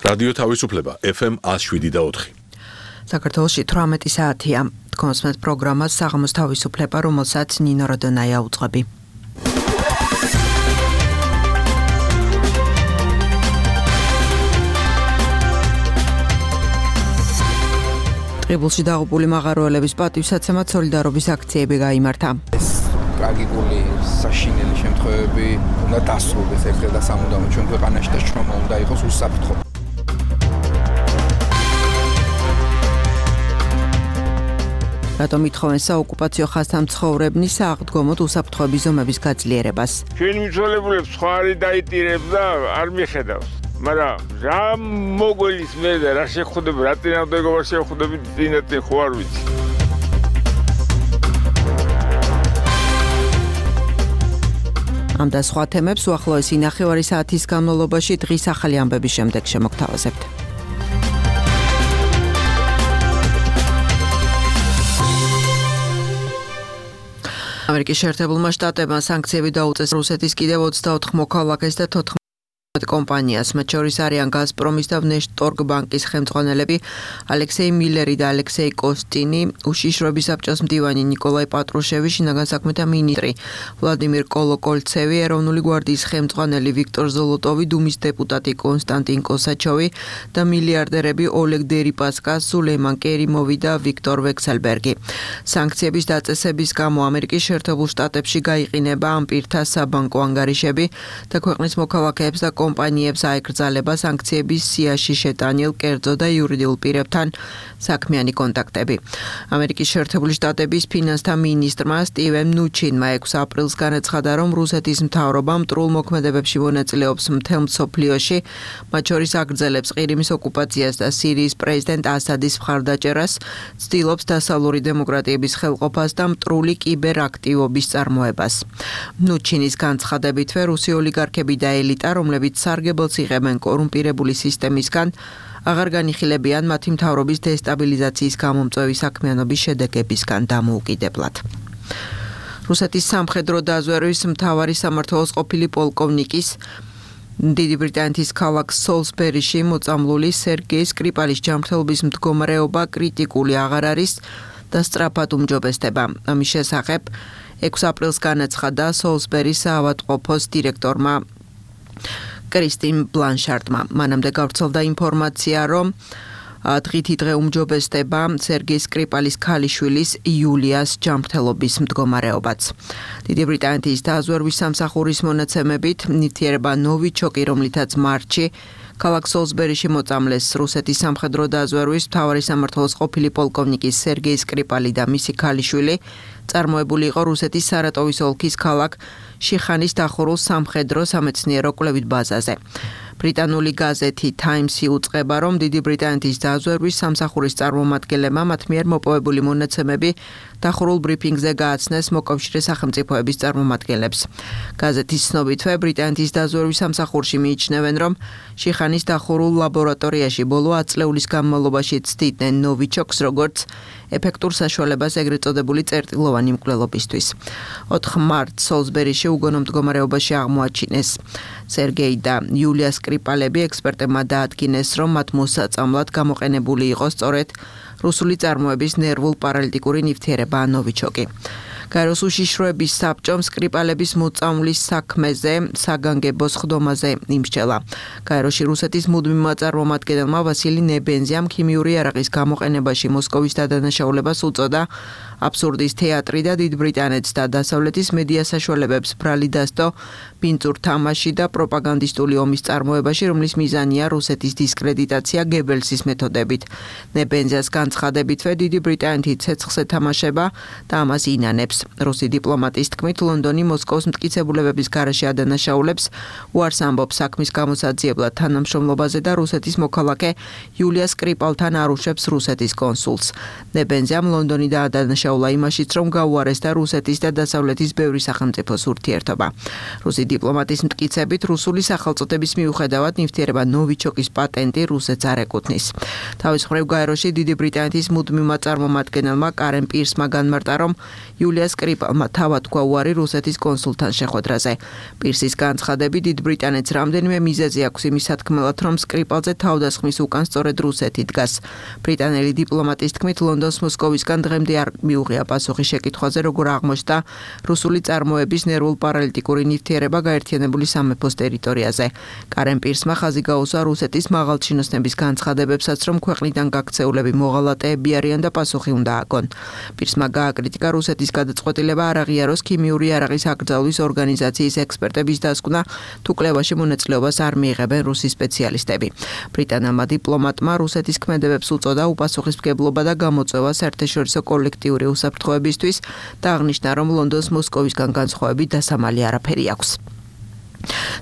რადიო თავისუფლება FM 107.4. საქართველოში 18 საათია. კონსმეთ პროგრამას საღამოს თავისუფლება, რომელსაც ნინო როდონაია უძღვები. ტყიბულში დაღუპული მაღაროელების პატივსაცემად სოლიდარობის აქციები გაიმართა. ტრაგიკული საშინელი შემთხვევები უნდა დასრულდეს ერთხელ და სამუდამოდ ჩვენ ქვეყანაში და შრომა უნდა იყოს უსაფრთხო. რატომ ითხოვენ საოკუპაციო ხაზთან მცხოვრებნი სააღდგომოდ უსაფრთხოების ზომების გაძლიერებას? ჩვენ მიცვალებულებს სხვა არ დაიტირებს და არ მიხედავს. მაგრამ რა მოგოლის მე და რა შეხვდები, რა წინააღმდეგობა შეხვდები, წინათი ხო არ ვიცი. ამ და სხვა თემებს უახლოესი ნახევარი საათის განმავლობაში დღის ახალი ამბების შემდეგ შემოგთავაზებთ. ამერიკის შეერთებულმა შტატებმა სანქციები დაუწეს რუსეთის კიდევ 24 მოქალაქეს და 14 კომპანიას, მათ შორის არიან გაზპრომის და ვნეშტორგ ბანკის ხელმძღვანელები ალექსეი მილერი და ალექსეი კოსტინი, უშიშროების საბჭოს მდივანი ნიკოლაი პატრუშევი, შინაგან საქმეთა მინისტრი ვლადიმირ კოლოკოლცევი, ეროვნული გვარდიის ხელმძღვანელი ვიქტორ ზოლოტოვი, დუმის დეპუტატი კონსტანტინ კოსაჩოვი და მილიარდერები ოლეგ დერიპასკა, სულეიმან კერიმოვი და ვიქტორ ვექსელბერგი. სანქციების დაწესების გამო ამერიკის შეერთებულ შტატებში გაიყინება ამ პირთა საბანკო ანგარიშები და ქვეყნის მოქალაქეებს და კომპანიებს აეკრძალება სანქციების სიაში შეტანილ კერძო და იურიდიულ პირებთან საქმიანი კონტაქტები. ამერიკის შეერთებული შტატების ფინანსთა მინისტრმა სტივენ ნუჩინმა 6 აპრილს განაცხადა, რომ რუსეთის მთავრობა მტრულ მოქმედებებში მონაწილეობს მთელ მსოფლიოში, მათ შორის აგრძელებს ყირიმის ოკუპაციას და სირიის პრეზიდენტ ასადის მხარდაჭერას, ცდილობს დასავლური დემოკრატიების ხელყოფას და მტრული კიბერაქტივობის წარმოებას. ნუჩინის განცხადებითვე რუსი ოლიგარქები და ელიტა, რომლებიც სარგებელს იღებენ კორუმპირებული სისტემისგან, აღარ განიხილებიან მათი მთავრობის დესტაბილიზაციის გამომწვევი საქმიანობის შედეგებისგან დამოუკიდებლად. რუსეთის სამხედრო დაზვერვის მთავარი სამმართველოს ყოფილი პოლკოვნიკის დიდი ბრიტანეთის ქალაქ სოლსბერიში მოწამლული სერგეი სკრიპალის ჯანმრთელობის მდგომარეობა კრიტიკული აღარ არის და სწრაფად უმჯობესდება. ამის შესახებ 6 აპრილს განაცხადა სოლსბერის საავადმყოფოს დირექტორმა კრისტინ ბლანშარტმა. მანამდე გავრცელდა ინფორმაცია, რომ დღითი დღე უმჯობესდება სერგეი სკრიპალის ქალიშვილის იულიას ჯანმრთელობის მდგომარეობაც. დიდი ბრიტანეთის დაზვერვის სამსახურის მონაცემებით ნივთიერება ნოვიჩოკი, რომლითაც მარტში ქალაქ სოლსბერიში მოწამლეს რუსეთის სამხედრო დაზვერვის მთავარი სამმართველოს ყოფილი პოლკოვნიკის სერგეი სკრიპალი და მისი ქალიშვილი წარმოებული იყო რუსეთის სარატოვის ოლქის ქალაქ შიხანის დახურულ სამხედრო სამეცნიერო კვლევით ბაზაზე. ბრიტანული გაზეთი Times-ი უწყება, რომ დიდი ბრიტანეთის დაზვერვის სამსახურის წარმომადგენლებმა მათ მიერ მოპოვებული მონაცემები დახურულ ბრიფინგზე გააცნეს მოკავშირე სახელმწიფოების წარმომადგენლებს. გაზეთის ცნობითვე ბრიტანეთის დაზვერვის სამსახურში მიიჩნევენ, რომ შიხანის დახურულ ლაბორატორიაში ბოლო 10 წლეულის განმავლობაში ცდიდნენ ნოვიჩოკს როგორც ეფექტურ საშუალებას ეგრეთ წოდებული წერტილოვანი მკვლელობისთვის. 4 მარტს სოლსბერიში უგონო მდგომარეობაში აღმოაჩინეს. სერგეი და იულია სკრიპალები ექსპერტებმა დაადგინეს, რომ მათ მოსაწამლად გამოყენებული იყო სწორედ რუსული წარმოების ნერვულ პარალიტიკური ნივთიერება ნოვიჩოკი. გაეროს უშიშროების საბჭომ სკრიპალების მოწამვლის საქმეზე საგანგებო სხდომაზე იმსჯელა. გაეროში რუსეთის მუდმივმა წარმომადგენელმა ვასილი ნებენზიამ ქიმიური იარაღის გამოყენებაში მოსკოვის დადანაშაულებას უწოდა აბსურდის თეატრი და დიდ ბრიტანეთს და დასავლეთის მედია საშუალებებს ბრალი დასდო ბინძურ თამაში და პროპაგანდისტული ომის წარმოებაში, რომლის მიზანია რუსეთის დისკრედიტაცია გებელსის მეთოდებით. ნებენზიას განცხადებითვე დიდი ბრიტანეთი ცეცხლს ეთამაშება და ამას ინანებს. რუსი დიპლომატის თქმით, ლონდონი მოსკოვის მტკიცებულებების გარეშე ადანაშაულებს უარს ამბობს საქმის გამოსაძიებლად თანამშრომლობაზე და რუსეთის მოქალაქე იულია სკრიპალთან არუშებს რუსეთის კონსულს. ნებენზიამ ლონდონი დაადანაშაულა იმაშიც, რომ გაუარესდა რუსეთის და დასავლეთის ბევრი სახელმწიფოს ურთიერთობა. რუსი დიპლომატის მტკიცებით, რუსული სახელწოდების მიუხედავად ნივთიერება ნოვიჩოკის პატენტი რუსეთს არ ეკუთვნის. თავის მხრივ გაეროში დიდი ბრიტანეთის მუდმივმა წარმომადგენელმა კარენ პირსმა განმარტა, რომ იულია სკრიპალმა თავად თქვა უარი რუსეთის კონსულთან შეხვედრაზე. პირსის განცხადებით დიდ ბრიტანეთს რამდენიმე მიზეზი აქვს იმის სათქმელად, რომ სკრიპალზე თავდასხმის უკან სწორედ რუსეთი დგას. ბრიტანელი დიპლომატის თქმით, ლონდონს მოსკოვისგან დღემდე არ მიუღია პასუხი შეკითხვაზე, როგორ აღმოჩნდა რუსული წარმოების ნერვულ-პარალიტიკური ნივთიერება გაერთიანებული სამეფოს ტერიტორიაზე. კარენ პირსმა ხაზი გაუსვა რუსეთის მაღალჩინოსნების განცხადებებსაც, რომ ქვეყნიდან გაქცეულები მოღალატეები არიან და პასუხი უნდა აგონ. პირსმა გააკრიტიკა რუსეთის გადაწყვეტილება არ აღიაროს ქიმიური იარაღის აკრძალვის ორგანიზაციის ექსპერტების დასკვნა, თუ კვლევაში მონაწილეობას არ მიიღებენ რუსი სპეციალისტები. ბრიტანელმა დიპლომატმა რუსეთის ქმედებებს უწოდა უპასუხისმგებლობა და გამოწვევა საერთაშორისო კოლექტიური უსაფრთხოებისთვის და აღნიშნა, რომ ლონდონს მოსკოვისგან განსხვავებით დასამალი არაფერი აქვს.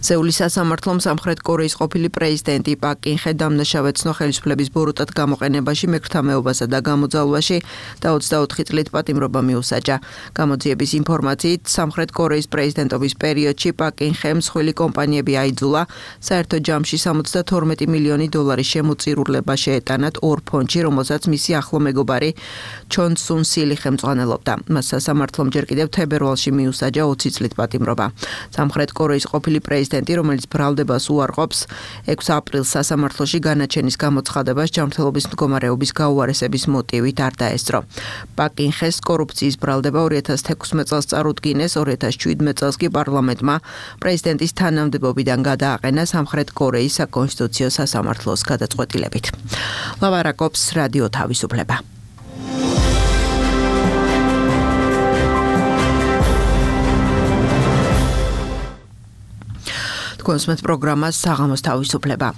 სეულის სასამართლომ სამხრეთ კორეის ყოფილი პრეზიდენტი პაკ კინ ხე დამნაშავე ცნო ხელისუფლების ბოროტად გამოყენებაში, მეკრთამეობასა და გამოძალვაში და 24 წლით პატიმრობა მიუსაჯა. გამოძიების ინფორმაციით, სამხრეთ კორეის პრეზიდენტობის პერიოდში პაკ კინ ხემ მსხვილი კომპანიები აიძულა, საერთო ჯამში 72 მილიონი დოლარის შემოწირულება შეეტანათ ორ ფონდში, რომელსაც მისი ახლო მეგობარი ჩონ სუნ სილი ხელმძღვანელობდა. მას სასამართლომ ჯერ კიდევ თებერვალში მიუსაჯა 20 წლით პატიმრობა. სამხრეთ კორეის ყოფილი პრეზიდენტი, რომელიც ბრალდებას უარყოფს, 6 აპრილს სასამართლოში განაჩენის გამოცხადებას ჯანმრთელობის მდგომარეობის გაუარესების მოტივით არ დაესწრო. პაკ კინ ხეს კორუფციის ბრალდება 2016 წელს წარუდგინეს, 2017 წელს კი პარლამენტმა პრეზიდენტის თანამდებობიდან გადააყენა სამხრეთ კორეის საკონსტიტუციო სასამართლოს გადაწყვეტილებით. ლავარაკობს რადიო თავისუფლება. კონსმეთ პროგრამა საღამოს თავისუფლება.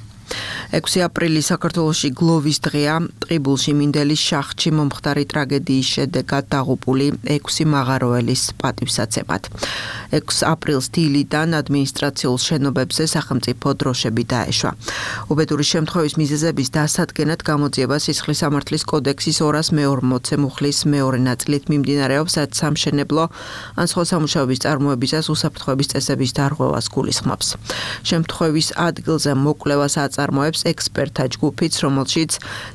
6 აპრილი საქართველოში გლოვის დღეა. ტყიბულში მინდელის შახტში მომხდარი ტრაგედიის შედეგად დაღუპული 6 მაღაროელის პატივსაცემად. 6 აპრილს დილიდან ადმინისტრაციულ შენობებზე სახელმწიფო დროშები დაეშვა. უბედური შემთხვევის მიზეზების დასადგენად გამოძიება სისხლის სამართლის კოდექსის 240 მუხლის მეორე ნაწილით მიმდინარეობს, რაც სამშენებლო ან სხვა სამუშაოების წარმოებისას უსაფრთხოების წესების დარღვევას გულისხმობს. შემთხვევის ადგილზე მოკვლევას აწარმოებს ექსპერტთა ჯგუფიც, რომელშიც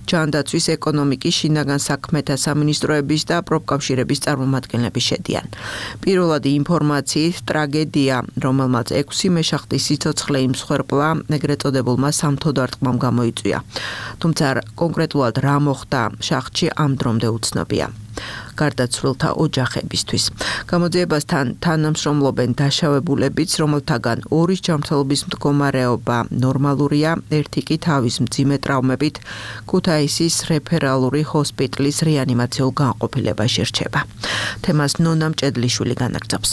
ჯანდაცვის, ეკონომიკის, შინაგან საქმეთა სამინისტროების და პროფკავშირების წარმომადგენლები შედიან. პირველადი ინფორმაციით, ტრაგედია, რომელმაც 6 მეშახტის სიცოცხლე იმსხვერპლა, ეგრეთ წოდებულმა სამთო დარტყმამ გამოიწვია. თუმცა კონკრეტულად რა მოხდა შახტში ამ დრომდე უცნობია. გარდაცვლილთა ოჯახებისთვის. გამოძიებასთან თანამშრომლობენ დაშავებულებიც, რომელთაგან 2-ის ჯანმრთელობის მდგომარეობა ნორმალურია, ერთი კი თავის მძიმე ტრავმებით ქუთაისის რეფერალური ჰოსპიტალის რეანიმაციულ განყოფილებაში რჩება. თემას ნონა მჭედლიშვილი განაგრძობს.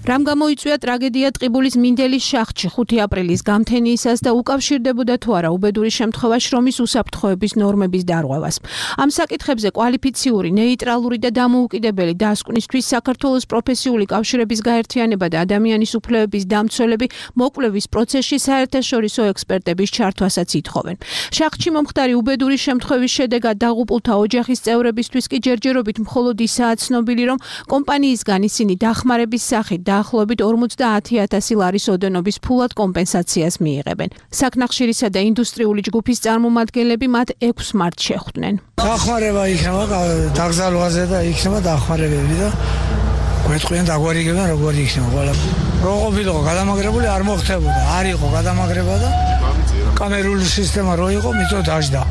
რამ გამოიწვია ტრაგედია ტყიბულის მინდელის შახტში 5 აპრილის გამთენიისას და უკავშირდებოდა თუ არა უბედური შემთხვევა შრომის უსაფრთხოების ნორმების დარღვევას. ამ საკითხებზე კვალიფიციური, ნეიტრალური და დამოუკიდებელი დასკვნისთვის საქართველოს პროფესიული კავშირების გაერთიანება და ადამიანის უფლებების დამცველები მოკვლევის პროცესში საერთაშორისო ექსპერტების ჩართვასაც ითხოვენ. შახტში მომხდარი უბედური შემთხვევის შედეგად დაღუპულთა ოჯახის წევრებისთვის კი ჯერჯერობით მხოლოდ ისაა ცნობილი, რომ კომპანიისგან ისინი დახმარების სახით დაახლოებით 50,000 ლარის ოდენობის ფულად კომპენსაციას მიიღებენ. საკნახშირისა და ინდუსტრიული ჯგუფის წარმომადგენლები მათ 6 მარტს შეხვდნენ. დახმარება იქნება დაგზავნაზე და იქნება დახმარებები და გვეტყვიან დაგვარიგებენ როგორი იქნება ყველა. რო ყოფილიყო გადამაგრებული არ მოხდებოდა, არ იყო გადამაგრება და კამერული სისტემა რო იყო, მიწო დაждდა.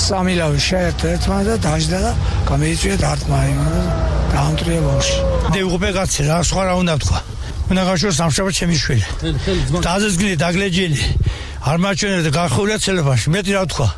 სამილავი შეერთდა ერთმანეთს და დაждდა და გამოიწვია დარტყმა იმანა დაამტრია ბავშვი. დეუღობე კაცი რა სხვა რა უნდა თქვა. უნდა გაშორ სამშაბათ ჩემი შვილი. დაზესგილი დაგლეჯილი. არ მაჩვენებდა და გახურია ცელებაში. მეტი რა თქვა.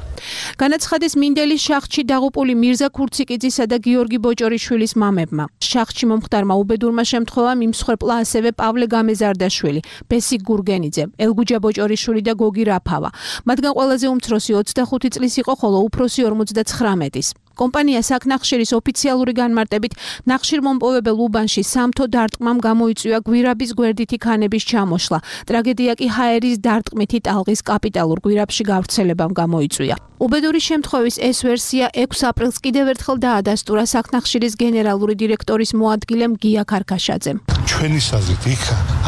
განაცხადეს მინდელის შახტში დაღუპული მირზა ქურციკიძისა და გიორგი ბოჭორიშვილის მამებმა. შახტში მომხდარმა უბედურმა შემთხვევამ იმსხვერპლა ასევე პავლე გამეზარდაშვილი, ბესი გურგენიძე, ელგუჯა ბოჭორიშვილი და გოგი რაფავა. მათგან ყველაზე უმცროსი 25 წლის იყო, ხოლო უფროსი 59-ის. კომპანია საკნახშირის ოფიციალური განმარტებით ნახშირმომპოვებელ უბანში სამთო დარტყმამ გამოიწვია გვირაბის გვერდითი ქანების ჩამოშლა. ტრაგედია კი ჰაერის დარტყმითი ტალღის კაპიტალურ გვირაბში გავრცელებამ გამოიწვია. უბედური შემთხვევის ეს ვერსია 6 აპრილს კიდევ ერთხელ დაადასტურა საკნახშირის გენერალური დირექტორის მოადგილემ გია ქარქაშაძემ. ჩვენი საზრით იქ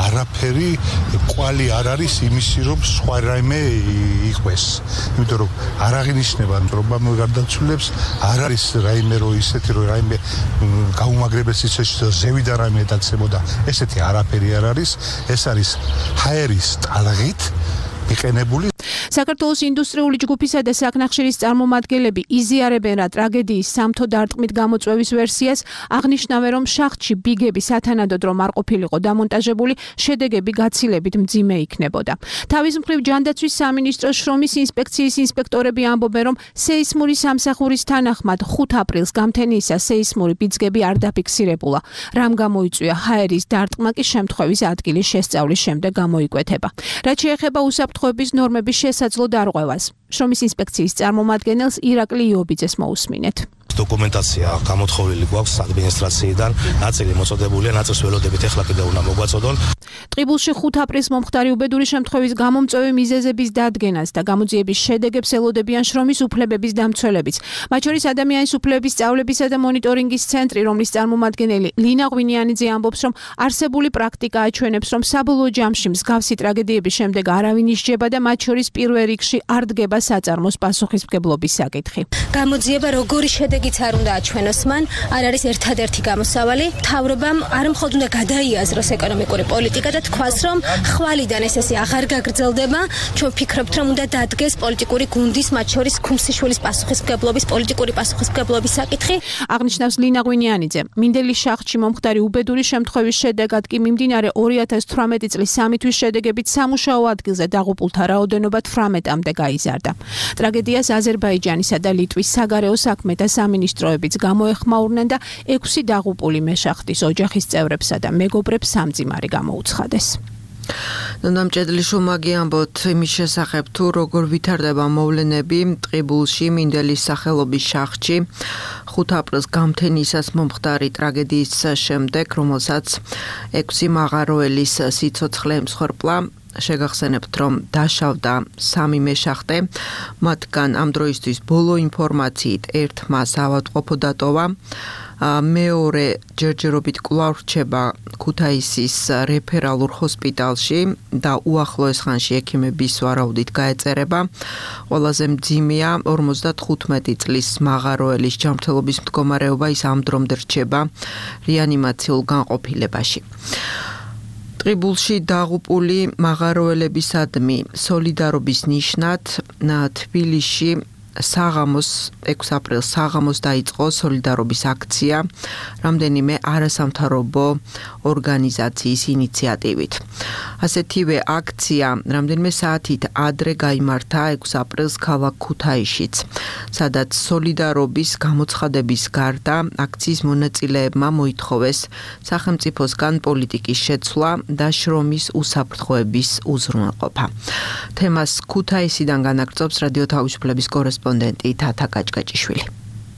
არაფერი კვალი არ არის იმისი, რომ სხვა რაიმე იყვეს. იმიტომ რომ არ აღინიშნება მტრობა გარდაცვლილებს, არ არის რაიმე რო ისეთი რო რაიმე გაუმაგრებელი სიცოცხლე ზევიდან რაიმე დაწებოდა ესეთი არაფერი არ არის ეს არის ჰაერის ტალღით იყენებული საქართველოს ინდუსტრიული ჯგუფისა და საკნახშირის წარმომადგენლები იზიარებენ რა ტრაგედიის სამთო დარტყმით გამოწვევის ვერსიას, აღნიშნავენ რომ შახტში ბიგები სათანადოდ რომ არ ყოფილიყო დამონტაჟებული, შედეგები გაცილებით მძიმე იქნებოდა. თავის მხრივ ჯანდაცვის სამინისტროს შრომის ინსპექციის ინსპექტორები ამბობენ რომ სეისმური სამსახურის თანახმად 5 აპრილს გამთენიისა სეისმური ბიძგები არ დაფიქსირებულა. რამ გამოიწვია ჰაერის დარტყმა კი შემთხვევის ადგილის შესწავლის შემდეგ გამოიკვეთება. რაც შეეხება უსაფრთხოების ნორმების შესაძლო დარღვევას. შრომის ინსპექციის წარმომადგენელს ირაკლი იობიძეს მოусმინეთ. დოკუმენტაცია გამოთხოვილი გვაქვს ადმინისტრაციიდან, ნაწილი მოწოდებულია, ნაწილს ველოდებით ახლა კიდე უნდა მოგვაწოდონ. ტყიბულში 5 აპრილს მომხდარი უბედური შემთხვევის გამომწვევი მიზეზების დადგენას და გამოძიების შედეგებს ელოდებიან შრომის უფლებების დამცველებიც. მათ შორის ადამიანის უფლებების სწავლებისა და მონიტორინგის ცენტრი, რომლის წარმომადგენელი ლინა ღვინიანიძე ამბობს, რომ არსებული პრაქტიკა აჩვენებს, რომ საბოლოო ჯამში მსგავსი ტრაგედიების შემდეგ არავინ ისჯება და მათ შორის პირველ რიგში არ დგება საწარმოს პასუხისმგებლობის საკითხი. გამოძიება როგორი შედეგიც არ უნდა აჩვენოს მან, არ არის ერთადერთი გამოსავალი. მთავრობამ არ მხოლოდ უნდა გადაიაზროს ეკონომიკური პოლიტიკა და თქვას, რომ ხვალიდან ეს აღარ გაგრძელდება. ჩვენ ვფიქრობთ, რომ უნდა დადგეს პოლიტიკური გუნდის, მათ შორის ქუმსიშვილის პასუხისმგებლობის, პოლიტიკური პასუხისმგებლობის საკითხი. აღნიშნავს ლინა ღვინიანიძე. მინდელის შახტში მომხდარი უბედური შემთხვევის შედეგად კი მიმდინარე 2018 წლის 3 თვის შედეგებით სამუშაო ადგილზე დაღუპულთა რაოდენობა 18-მდე გაიზარდა. ტრაგედიას აზერბაიჯანისა და ლიტვის საგარეო საქმეთა სამინისტროებიც გამოეხმაურნენ და 6 დაღუპული მეშახტის ოჯახის წევრებსა და მეგობრებს სამძიმარი გამოუცხადეს. ნამჭედლიშვილმა ამბობთ იმის შესახებ თუ როგორ ვითარდება მოვლენები ტყიბულში მინდელის სახელობის შახტში 5 აპრილს გამთენისას მომხდარი ტრაგედიის შემდეგ, რომელსაც 6 მაღაროელის სიცოცხლე მსხვერპლა. შეგახსენებთ, რომ დაშავდა 3 მეშახტე, მათგან ამ დროისთვის ბოლო ინფორმაციით ერთმა საავადმყოფო დატოვა, მეორე ჯერჯერობით კვლავ რჩება ქუთაისის რეფერალურ ჰოსპიტალში და უახლოეს ხანში ექიმების ვარაუდით გაეწერება. ყველაზე მძიმეა 55 წლის მაღაროელის ჯანმრთელობის მდგომარეობა, ის ამ დრომდე რჩება რეანიმაციულ განყოფილებაში. ტყიბულში დაღუპული მაღაროელებისადმი სოლიდარობის ნიშნად თბილისში საღამოს 6 აპრილს საღამოს დაიწყო სოლიდარობის აქცია რამდენიმე არასამთავრობო ორგანიზაციის ინიციატივით. ასეთივე აქცია რამდენიმე საათით ადრე გაიმართა 6 აპრილს ქალაქ ქუთაისშიც, სადაც სოლიდარობის გამოცხადების გარდა აქციის მონაწილეებმა მოითხოვეს სახელმწიფოსგან პოლიტიკის შეცვლა და შრომის უსაფრთხოების უზრუნველყოფა. თემას ქუთაისიდან განაგრძობს რადიო თავისუფლების კორესპონდენტი თათა გაჭგაჭიშვილი.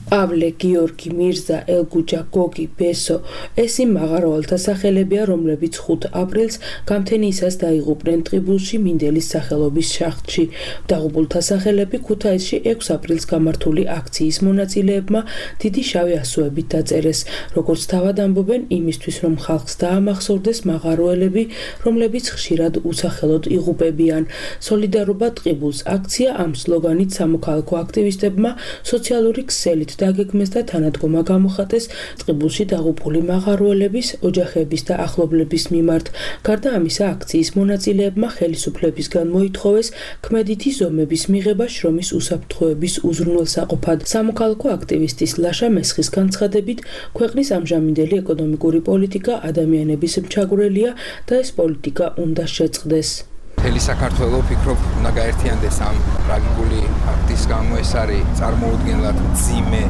პავლე, გიორგი, მირზა, ელგუჯა, გოგი, ბესო, ეს იმ მაღაროელთა სახელებია, რომლებიც 5 აპრილს გამთენიისას დაიღუპნენ ტყიბულში მინდელის სახელობის შახტში. დაღუპულთა სახელები ქუთაისში 6 აპრილს გამართული აქციის მონაწილეებმა დიდი შავი ასოებით დაწერეს. როგორც თავად ამბობენ, იმისთვის, რომ ხალხს დაამახსოვრდეს მაღაროელები, რომლებიც ხშირად usახელოდ იღუპებიან. სოლიდარობა ტყიბულს აქცია ამ სლოგანით სამოქალაქო აქტივისტებმა სოციალური ქსელით დაგეგმეს და თანადგომა გამოხატეს ტყიბულში დაღუპული მაღაროელების, ოჯახების და ახლობლების მიმართ. გარდა ამისა, აქციის მონაწილეებმა ხელისუფლებისგან მოითხოვეს ქმედითი ზომების მიღება შრომის უსაფრთხოების უზრუნველსაყოფად. სამოქალაქო აქტივისტის ლაშა მესხის განცხადებით, ქვეყნის ამჟამინდელი ეკონომიკური პოლიტიკა ადამიანების მჩაგვრელია და ეს პოლიტიკა უნდა შეწყდეს. მთელი საქართველო ვფიქრობ უნდა გაერთიანდეს ამ ტრაგიკული ფაქტის გამო. ეს არის წარმოუდგენლად მძიმე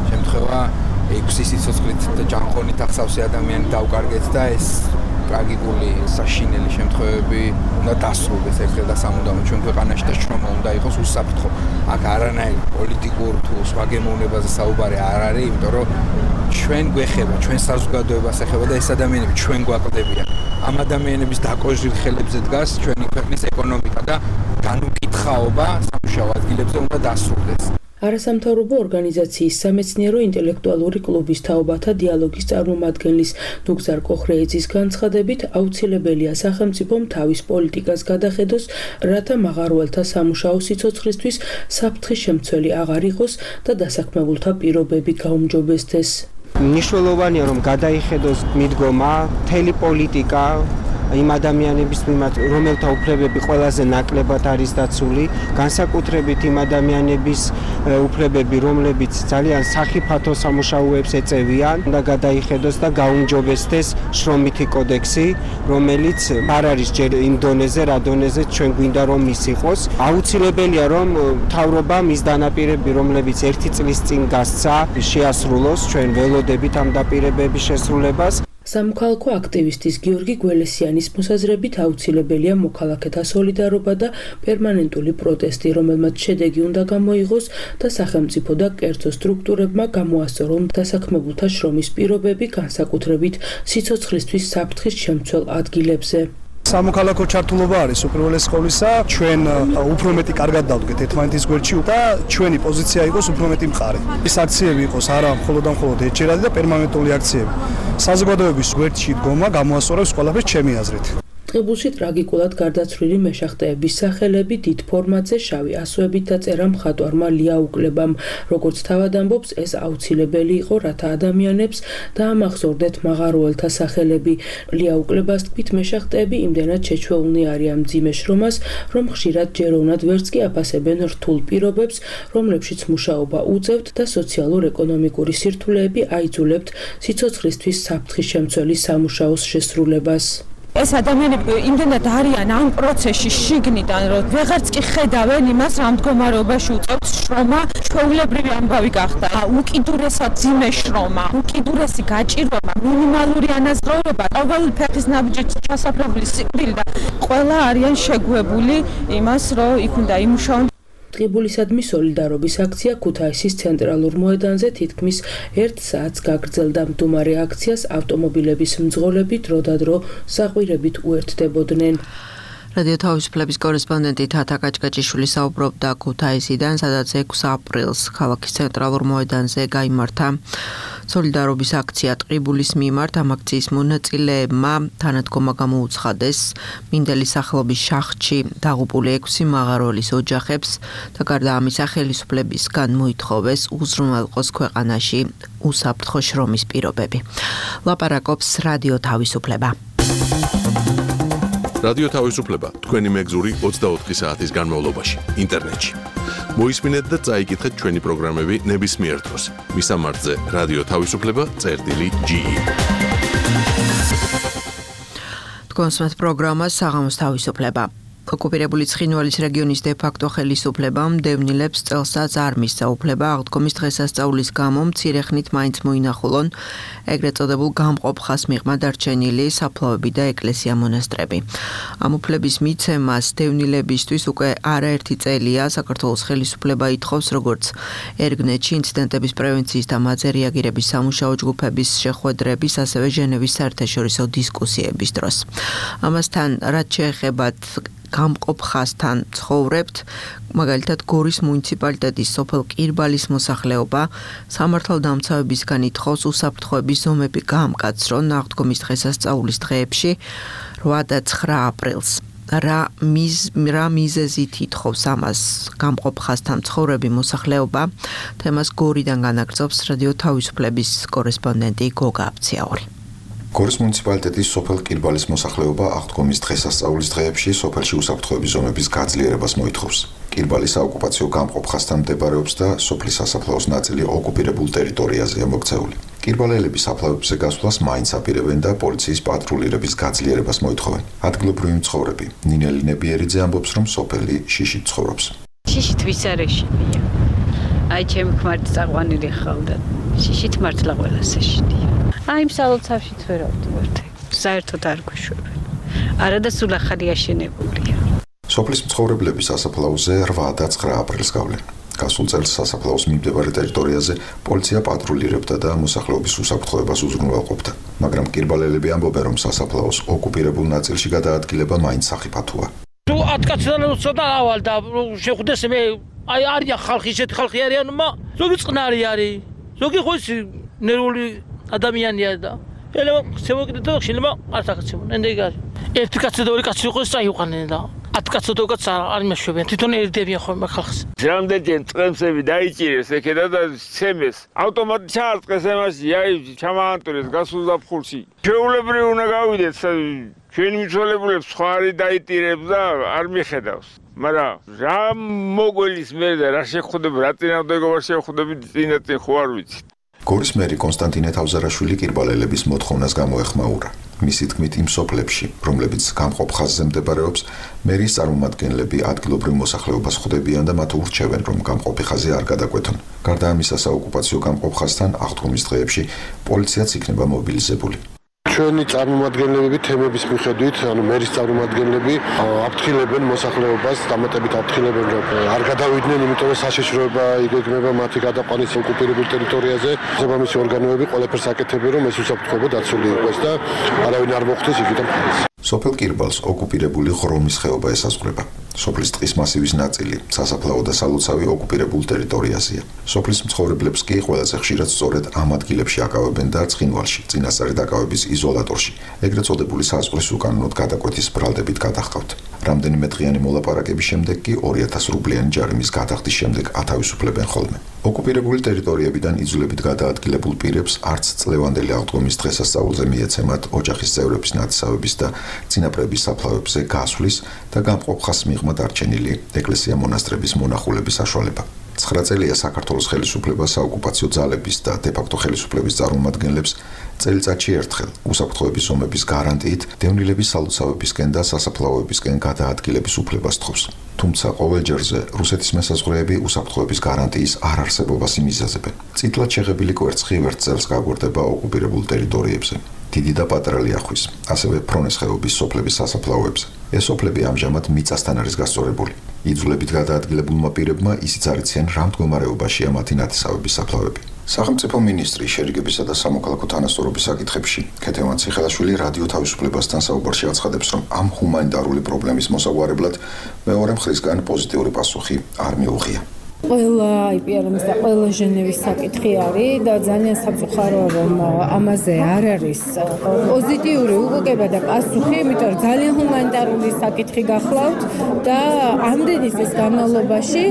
შემთხვევა. 6 სიცოცხლით და ჯანმრთელობით ახსავსი ადამიანი დავკარგეთ და ეს ტრაგიკული საშინელი შემთხვევები უნდა დასრულდეს ერთად და სამუდამოდ ჩვენ ქვეყანაში და შრომა უნდა იყოს უსაფრთხო. აქ არანაირ პოლიტიკურ თუ სხვა გემოვნებაზე საუბარი არ არის, იმიტომ რომ ჩვენ გვეხება, ჩვენ საზოგადოებას ეხება და ეს ადამიანები ჩვენ გვაკლდებიან. ამ ადამიანების დაკოჟრილ ხელებზე დგას ჩვენი ქვეყნის ეკონომიკა და განუკითხაობა სამუშაო ადგილებზე უნდა დასრულდეს. არასამთავრობო ორგანიზაციის სამეცნიერო ინტელექტუალური კლუბის თაობათა დიალოგის წარმომადგენლის ნუგზარ კოხრეიძის განცხადებით, აუცილებელია სახელმწიფომ თავის პოლიტიკას გადახედოს, რათა მაღაროელთა სამუშაო სიცოცხლისთვის საფრთხის შემცველი აღარ იყოს და დასაქმებულთა პირობები გაუმჯობესდეს. მნიშვნელოვანია, რომ გადაიხედოს მიდგომა, მთელი პოლიტიკა იმ ადამიანების მიმართ, რომელთა უფლებები ყველაზე ნაკლებად არის დაცული, განსაკუთრებით იმ ადამიანების უფლებები, რომლებიც ძალიან სახიფათო სამუშაოებს ეწევიან, და გადაიხედოს და გაუმჯობესდეს შრომითი კოდექსი, რომელიც არ არის ჯერ იმ დონეზე, რა დონეზე ჩვენ გვინდა რომ ის იყოს. აუცილებელია, რომ მთავრობა მის დანაპირები, რომლებიც 1 წლის წინ გასცა, შეასრულოს. ჩვენ ველოდებით ამ დაპირებების შესრულებას. სამოქალაქო აქტივისტის გიორგი გველესიანის მოსაზრებით აუცილებელია მოქალაქეთა სოლიდარობა და პერმანენტული პროტესტი, რომელმაც შედეგი უნდა გამოიღოს და სახელმწიფო და კერძო სტრუქტურებმა გამოასწორონ დასაქმებულთა შრომის პირობები, განსაკუთრებით სიცოცხლისთვის საფრთხის შემცველ ადგილებზე. სამოქალაქო ჩართულობა არის უპირველეს ყოვლისა, ჩვენ უფრო მეტი კარგად დავდგეთ ერთმანეთის გვერდში და ჩვენი პოზიცია იყოს უფრო მეტი მყარი. ეს აქციები იყოს არა მხოლოდ ერთჯერადი და პერმანენტული აქციები. საზოგადოების გვერდში დგომა გამოასწორებს ყველაფერს ჩემი აზრით. ტყიბულში ტრაგიკულად გარდაცვლილი მეშახტეების სახელები დიდ ფორმატზე შავი ასოებით დაწერა მხატვარმა ლიაუკლებამ. როგორც თავად ამბობს, ეს აუცილებელი იყო, რათა ადამიანებს დაამახსოვრდეთ მაღაროელთა სახელები. ლიაუკლებას თქმით, მეშახტეები იმდენად შეჩვეულნი არიან მძიმე შრომას, რომ ხშირად ჯეროვნად ვერც კი აფასებენ რთულ პირობებს, რომლებშიც მუშაობა უწევთ და სოციალურ-ეკონომიკური სირთულეები აიძულებთ სიცოცხლისთვის საფრთხის შემცველი სამუშაოს შესრულებას. ეს ადამიანები იმდენად არიან ამ პროცესში შიგნიდან, რომ ვეღარც კი ხედავენ იმას, რა მდგომარეობაში უწევთ შრომა, ჩვეულებრივი ამბავი გახდა. უკიდურესად ძიმე შრომა, უკიდურესი გაჭირვება, მინიმალური ანაზღაურება, ყოველ ფეხის ნაბიჯით ჩასაფრებული სიკვდილი და ყველა არიან შეგუებული იმას, რომ იქ უნდა იმუშაონ. ტყიბულისადმი სოლიდარობის აქცია ქუთაისის ცენტრალურ მოედანზე თითქმის 1 საათს გაგრძელდა. მდუმარე აქციას ავტომობილების მძღოლები დროდადრო საყვირებით უერთდებოდნენ. რადიო თავისუფლების კორესპონდენტი თათა კაჭკაჭიშვილი საუბრობდა ქუთაისიდან, სადაც 6 აპრილს ქალაქის ცენტრალურ მოედანზე გაიმართა სოლიდარობის აქცია ტყიბულის მიმართ. ამ აქციის მონაწილეებმა თანადგომა გამოუცხადეს მინდელის სახელობის შახტში დაღუპული 6 მაღაროელის ოჯახებს და გარდა ამისა ხელისუფლებისგან მოითხოვეს უზრუნველყოს ქვეყანაში უსაფრთხო შრომის პირობები. ლაპარაკობს რადიო თავისუფლება. რადიო თავისუფლება თქვენი მეგზური 24 საათის განმავლობაში ინტერნეტში. მოისმინეთ და წაიკითხეთ ჩვენი პროგრამები ნებისმიერ დროს. მისამართზე რადიო თავისუფლება.ge. თქვენს პროგრამას საღამოს თავისუფლება. ოკუპირებული ცხინვალის რეგიონის დე-ფაქტო ხელისუფლებამ დევნილებს წელსაც არ მისცა უფლება აღდგომის დღესასწაულის გამო მცირე ხნით მაინც მოინახულონ ეგრეთ წოდებულ გამყოფ ხას მიღმა დარჩენილი საფლავები და ეკლესია-მონასტრები. ამ უფლების მიცემას დევნილებისთვის უკვე არაერთი წელია საქართველოს ხელისუფლება ითხოვს, როგორც ერგნეთში ინციდენტების პრევენციის და მათზე რეაგირების სამუშაო ჯგუფების შეხვედრების, ასევე ჟენევის საერთაშორისო დისკუსიების დროს. ამასთან, რაც შეეხებათ გამყოფ ხასთან ცხოვრებთ, მაგალითად გორის მუნიციპალიტეტის სოფელ კირბალის მოსახლეობა სამართალდამცავებისგან ითხოვს უსაფრთხოების ზომები გაამკაცრონ აღდგომის დღესასწაულის დღეებში 8 და 9 აპრილს. რა მიზეზით ითხოვს ამას გამყოფ ხასთან ცხოვრები მოსახლეობა? თემას გორიდან განაგრძობს რადიო თავისუფლების კორესპონდენტი გოგა აბციაური. გორის მუნიციპალიტეტის სოფელ კირბალის მოსახლეობა აღდგომის დღესასწაულის დღეებში სოფელში უსაფრთხოების ზომების გაძლიერებას მოითხოვს. კირბალის საოკუპაციო გამყოფ ხასთან მდებარეობს და სოფლის სასაფლაოს ნაწილი ოკუპირებულ ტერიტორიაზეა მოქცეული. კირბალელები საფლავებზე გასვლას მაინც აპირებენ და პოლიციის პატრულირების გაძლიერებას მოითხოვენ. ადგილობრივი მცხოვრები ნინელი ნებიერიძე ამბობს, რომ სოფელი შიშით ცხოვრობს. შიშით ვისარეშინია. აი ჩემი ქმარი წაყვანილი ხალდა. შიშით მართლა ყველას ეშინია. აი იმ სალოცავშიც ვერ ავდივართ. საერთოდ არ გვეშვებენ. არა და სულ ახალი აშენებულია. სოფლის მცხოვრებლები სასაფლაოზე 8 და 9 აპრილს გავლენ. გასულ წელს სასაფლაოს მიმდებარე ტერიტორიაზე პოლიცია პატრულირებდა და მოსახლეობის უსაფრთხოებას უზრუნველყოფდა. მაგრამ კირბალელები ამბობენ, რომ სასაფლაოს ოკუპირებულ ნაწილში გადაადგილება მაინც სახიფათოა. თუ 10 კაცთან უცოდა ავალ და შეხვდეს მე აი არიან ხალხი, ისეთი ხალხი არიან, ზოგი წყნარი არის, ზოგი ხო ის ნერვული ადამიანია და ელევა შემოგიდეთ და შეიძლება არ საკაცებონ, ენდეგი არის. ერთი კაცი და ორი კაცი იყოს წაიყვანენ და 10 კაცი და 20 კაცი არ იმეშვებიან, თვითონ ერდებიან ხოლმე ხალხს. რამდენჯერ წემსები დაიჭირეს ეკედა და ცემეს. ავტომატი ჩაარტყეს ემაში, აი ჩამაანტურეს გასულდა ფულში. ჩვეულებრივ უნდა გავიდეთ, ჩვენი მიცვალებულებს სხვა არის დაიტირებს და არ მიხედავს. მაგრამ რა მოგველის მე და რა შეხვდები, რა წინააღმდეგობა შეხვდები, წინაწინ ხო არ ვიცი. გორის მერი კონსტანტინე თავზარაშვილი კირბალელების მოთხოვნას გამოეხმაურა. მისი თქმით იმ სოფლებში, რომლებიც გამყოფ ხაზზე მდებარეობს, მერის წარმომადგენლები ადგილობრივ მოსახლეობას ხვდებიან და მათ ურჩევენ, რომ გამყოფი ხაზი არ გადაკვეთონ. გარდა ამისა, საოკუპაციო გამყოფ ხაზთან აღდგომის დღეებში პოლიციაც იქნება მობილიზებული. ჩვენი წარმომადგენლები თემების მიხედვით, ანუ მერის წარმომადგენლები აფრთხილებენ მოსახლეობას, დამატებით აფრთხილებენ, რომ არ გადავიდნენ, იმიტომ რომ საშიშროება იგეგმება მათი გადაყვანის ოკუპირებულ ტერიტორიაზე. ზებამისი ორგანოები ყველაფერს აკეთებენ, რომ ეს უსაფრთხოება დაცული იყოს და არავინ არ მოხვდეს იქიდან ხარეს. სოფელ კირბალს ოკუპირებული ღრომის ხეობა ესაზღვრება. სოფლის ტყის მასივის ნაწილი, სასაფლაო და სალოცავი ოკუპირებულ ტერიტორიაზეა. სოფლის მცხოვრებლებს კი ყველაზე ხშირად სწორედ ამ ადგილებში აკავებენ და ცხინვალში, წინასწარი დაკავების იზოლატორში, ეგრეთ წოდებული საზღვრის უკანონოდ გადაკვეთის ბრალდებით გადაჰყავთ. რამდენიმე დღიანი მოლაპარაკების შემდეგ კი 2000 რუბლიანი ჯარიმის გადახდის შემდეგ ათავისუფლებენ ხოლმე. ოკუპირებული ტერიტორიებიდან იძულებით გადაადგილებულ პირებს არც წლევანდელი აღდგომის დღესასწაულზე მიეცემათ ოჯახის წევრების ნათესავების და წინაპრების საფლავებზე გასვლის და გამყოფ ხაზს მიღმა დარჩენილი ეკლესია-მონასტრების მონახულების საშუალება. 9 წელია საქართველოს ხელისუფლება საოკუპაციო ძალების და დე-ფაქტო ხელისუფლების წარმომადგენლებს წელიწადში ერთხელ უსაფრთხოების ომების გარანტიით დევნილების სალოცავებისკენ და სასაფლაოებისკენ გადაადგილების უფლებას თხოვს. თუმცა ყოველ ჯერზე რუსეთის მესაზღვრეები უსაფრთხოების გარანტიის არარსებობას იმიზეზებენ. წითლად შეღებილი კვერცხი ვერც წელს გაგვერდება ოკუპირებულ ტერიტორიებზე. დიდი და პატარა ლიახვის, ასევე ფრონეს ხეობის სოფლების სასაფლაოებზე. ეს სოფლები ამჟამად მიწასთან არის გასწორებული. იძულებით გადაადგილებულმა პირებმა ისიც არ იციან, რა მდგომარეობაშია მათი ნათესავების საფლავები. სახელმწიფო მინისტრი შერიგებისა და სამოქალაქო თანასწორობის საკითხებში ქეთევან ციხელაშვილი რადიო თავისუფლებასთან საუბარში აცხადებს, რომ ამ ჰუმანიტარული პრობლემის მოსაგვარებლად მეორე მხარისგან პოზიტიური პასუხი არ მიუღია. ყველა IPRM-ის და ყველა ჟენევის საკითხი არის და ძალიან სამწუხაროა, რომ ამაზე არ არის პოზიტიური უკუგება და პასუხი, იმიტომ რომ ძალიან ჰუმანიტარული საკითხი გახლავთ და ამდენი წლის განმავლობაში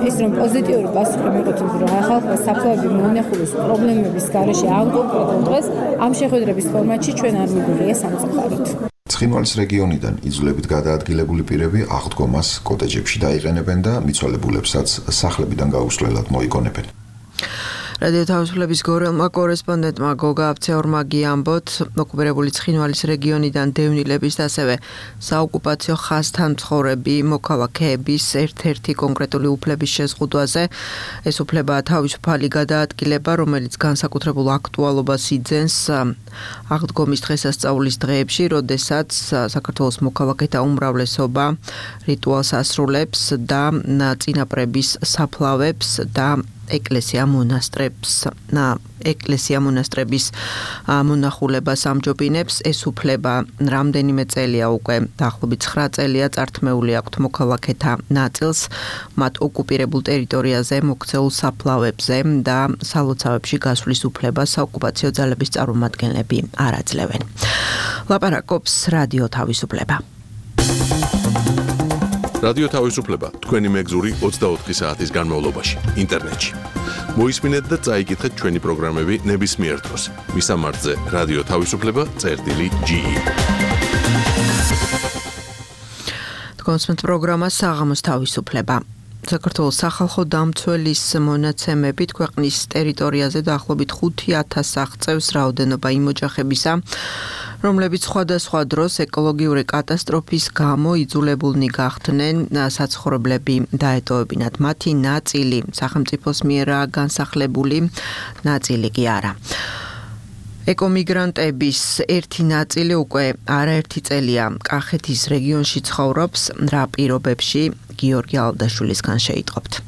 ის რომ პოზიტიური პასუხი მიიღოთ, რომ ხალხმა საფლავები მონახულოს პრობლემების გარეშე ამ კონკრეტულ დღეს ამ შეხვედრების ფორმატში ჩვენ არ მიგვიღია სამწუხაროდ. ცხინვალის რეგიონიდან იძულებით გადაადგილებული პირები აღდგომას კოტეჯებში დაიყენებენ და მიცვალებულებსაც სახლებიდან გაუსვლელად მოიგონებენ. რადიო თავისუფლების გორელმა კორესპონდენტმა გოგა აფცეორმა გიამბოთ, ოკუპირებული ცხინვალის რეგიონიდან დევნილების და ასევე საოკუპაციო ხაზთან მცხოვრები მოქალაქეების ერთ-ერთი კონკრეტული უფლების შეზღუდვაზე. ეს უფლებაა თავისუფალი გადაადგილება, რომელიც განსაკუთრებულ აქტუალობას იძენს აღდგომის დღესასწაულის დღეებში, როდესაც საქართველოს მოქალაქეთა უმრავლესობა რიტუალს ასრულებს და წინაპრების საფლავებს და ეკლესია-მონასტრების მონახულებას ამჯობინებს. ეს უფლება რამდენიმე წელია უკვე, დაახლოებით 9 წელია წართმეული აქვთ მოქალაქეთა ნაწილს, მათ ოკუპირებულ ტერიტორიაზე მოქცეულ საფლავებზე და სალოცავებში გასვლის უფლებას საოკუპაციო ძალების წარმომადგენლები არ აძლევენ. ლაპარაკობს რადიო თავისუფლება. რადიო თავისუფლება თქვენი მეგზური 24 საათის განმავლობაში ინტერნეტში. მოისმინეთ და წაიკითხეთ ჩვენი პროგრამები ნებისმიერ დროს. მისამართზე რადიო თავისუფლება.ge. კონსმეთ პროგრამა საღამოს თავისუფლება. საქართველოს სახალხო დამცველის მონაცემებით ქვეყნის ტერიტორიაზე დაახლოებით 5000 აღწევს რაოდენობა იმ ოჯახებისა, რომლებიც სხვადასხვა დროს ეკოლოგიური კატასტროფის გამო იძულებულნი გახდნენ საცხოვრებლები დაეტოვებინათ. მათი ნაწილი სახელმწიფოს მიერაა განსახლებული, ნაწილი კი არა. ეკომიგრანტების ერთი ნაწილი უკვე არაერთი წელია კახეთის რეგიონში ცხოვრობს, რა პირობებში გიორგი ალდაშვილისგან შეიტყობთ.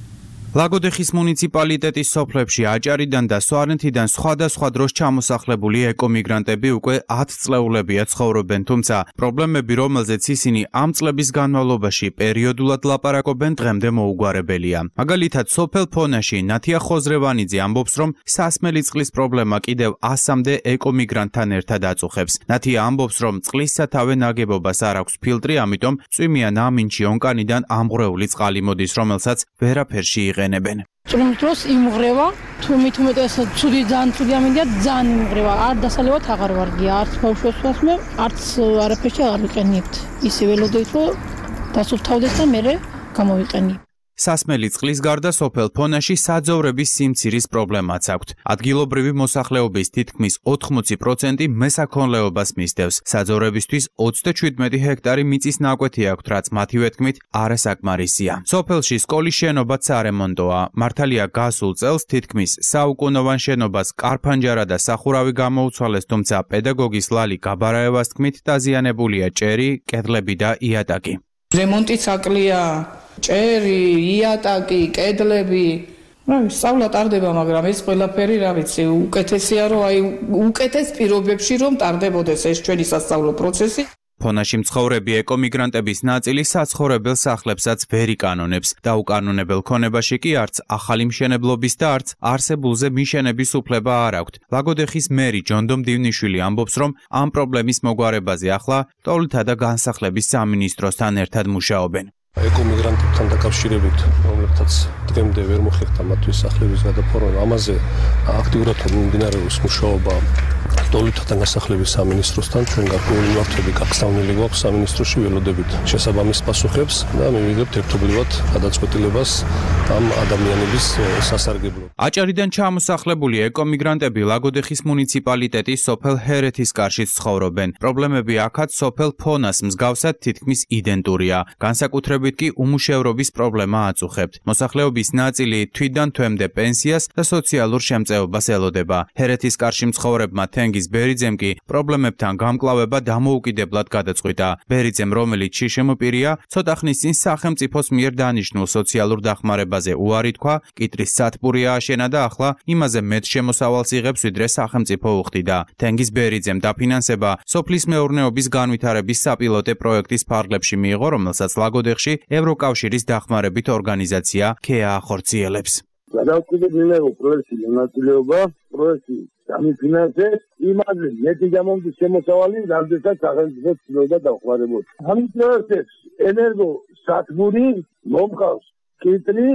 ლაგოდეხის მუნიციპალიტეტის სოფლებში აჭარიდან და სვანეთიდან სხვადასხვა დროს ჩამოსახლებული ეკომიგრანტები უკვე 10 წლეულებია ცხოვრობენ, თუმცა პრობლემები, რომელზეც ისინი ამ წლების განმავლობაში პერიოდულად ლაპარაკობენ, დღემდე მოუგვარებელია. მაგალითად, სოფელ ფონაში ნათია ხოზრევანიძე ამბობს, რომ სასმელი წყლის პრობლემა კიდევ 100-მდე ეკომიგრანტთან ერთად აწუხებს. ნათია ამბობს, რომ წყლის სათავე ნაგებობას არ აქვს ფილტრი, ამიტომ წვიმიან ამინჩი ონკანიდან ამღვრეული წყალი მოდის, რომელსაც ვერაფერში იყენებენ. წვიმის დროს იმღრევა, თუმეტეს ცუდი ძალიან ცუდი ამინდია, ძალიან იმღრევა. არ დასალევად აღარ ვარგია, არც ბავშვებს მე, არც არაფერში აღარ ვიყენებთ. ისე ველოდებით, რომ დასუფთავდეს და მე გამოვიყენებ. სასმელი წყლის გარდა სოფელ ფონაში საძოვრების სიმცირის პრობლემაც აქვთ. ადგილობრივი მოსახლეობის თითქმის 80% მესაქონლეობას მისდევს. საძოვრებისთვის 37 ჰექტარი მიწის ნაკვეთი აქვთ, რაც მათივე თქმით არასაკმარისია. სოფელში სკოლის შენობაც არემონტოა. მართალია გასულ წელს თითქმის საუკუნოვან შენობას კარფანჯარა და სახურავი გამოუცვალეს, თუმცა პედაგოგის ლალი გაბარაევას თქმით დაზიანებულია ჭერი, კედლები და იატაკი. რემონტიც აკლია, ჭერი, იატაკი, კედლები. სწავლა ტარდება, მაგრამ ეს ყველაფერი, რა ვიცი, უკეთესია, რომ უკეთეს პირობებში რომ ტარდებოდეს ეს ჩვენი სასწავლო პროცესი. ფონაში მცხოვრები ეკომიგრანტების ნაწილი საცხოვრებელ სახლებსაც ვერ იკანონებს. დაუკანონებელ ქონებაში კი არც ახალი მშენებლობის და არც არსებულზე მიშენების უფლება არ აქვთ. ლაგოდეხის მერი ჯონდომ დივნიშვილი ამბობს, რომ ამ პრობლემის მოგვარებაზე ახლა ტოლთა და განსახლების სამინისტროსთან ერთად მუშაობენ. ეკომიგრანტებთან დაკავშირებით, რომლებთაც დღემდე ვერ მოხერხდა მათთვის სახლების გადაფორმა, ამაზე აქტიურად მიმდინარეობს მუშაობა ტოლითათა განსახლების სამინისტროსთან. ჩვენ გარკვეული მმართველი გაგზავნილი გვაქვს სამინისტროში, ველოდებით შესაბამის პასუხებს და მივიღებთ ერთობლივად გადაწყვეტილებას ამ ადამიანების სასარგებლოდ. აჭარიდან ჩამოსახლებული ეკომიგრანტები ლაგოდეხის მუნიციპალიტეტის სოფელ ჰერეთის კარშიც ცხოვრობენ. პრობლემები აქაც სოფელ ფონას მსგავსად თითქმის იდენტურია. განსაკუთრებით კი უმუშევრობის პრობლემა აწუხებთ. მოსახლეობის ნაწილი თვიდან თვემდე პენსიას და სოციალურ შემწეობას ელოდება. ჰერეთის კარში მცხოვრებმა თენგიზ ბერიძემ კი პრობლემებთან გამკლავება დამოუკიდებლად გადაწყვიტა. ბერიძემ, რომელიც შიშემოპირია, ცოტა ხნის წინ სახელმწიფოს მიერ დანიშნულ სოციალურ დახმარებაზე უარი თქვა, კიტრის სათბური ააშენა და ახლა იმაზე მეტ შემოსავალს იღებს, ვიდრე სახელმწიფო უხდიდა. თენგიზ ბერიძემ დაფინანსება სოფლის მეურნეობის განვითარების საპილოტე პროექტის ფარგლებში მიიღო, რომელსაც ლაგოდეხში ევროკავშირის დახმარებით ორგანიზაცია KEA ახორციელებს. გადაუკიდებელი პროექტი მონაწილეობა პროექტი გამიფინანსეს იმაზე მეტი გამომდის შემოსავალი, რამდენსაც სახელმწიფო ცდილობდა დახმარებოდა. ამით პროექტს ენერგო სათბური მომყავს კიტრი,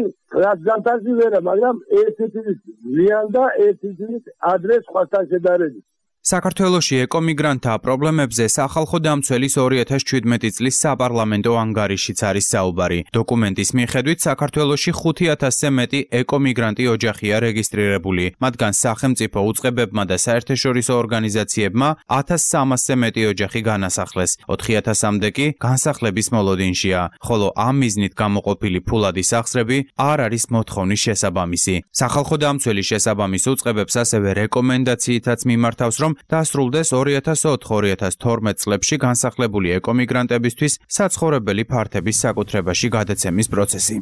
რაც განთასი ვერა, მაგრამ ერთი წლის ზიან და ერთი წლის ადრე სხვასთან შედარებით. საქართველოში ეკომიგრანტთა პრობლემებზე სახალხო დამცველის 2017 წლის საპარლამენტო ანგარიშიც არის საუბარი. დოკუმენტის მიხედვით საქართველოში 5000-ზე მეტი ეკომიგრანტი ოჯახია რეგისტრირებული. მათგან სახელმწიფო უწყებებმა და საერთაშორისო ორგანიზაციებმა 1300-ზე მეტი ოჯახი განასახლეს. 4000-მდე კი განსახლების მოლოდინშია, ხოლო ამ მიზნით გამოყოფილი ფულადი სახსრები არ არის მოთხოვნის შესაბამისი. სახალხო დამცველი შესაბამის უწყებებს ასევე რეკომენდაციითაც მიმართავს, რომ დასრულდეს 2004-2012 წლებში განსახლებული ეკომიგრანტებისთვის საცხოვრებელი ფართების საკუთრებაში გადაცემის პროცესი.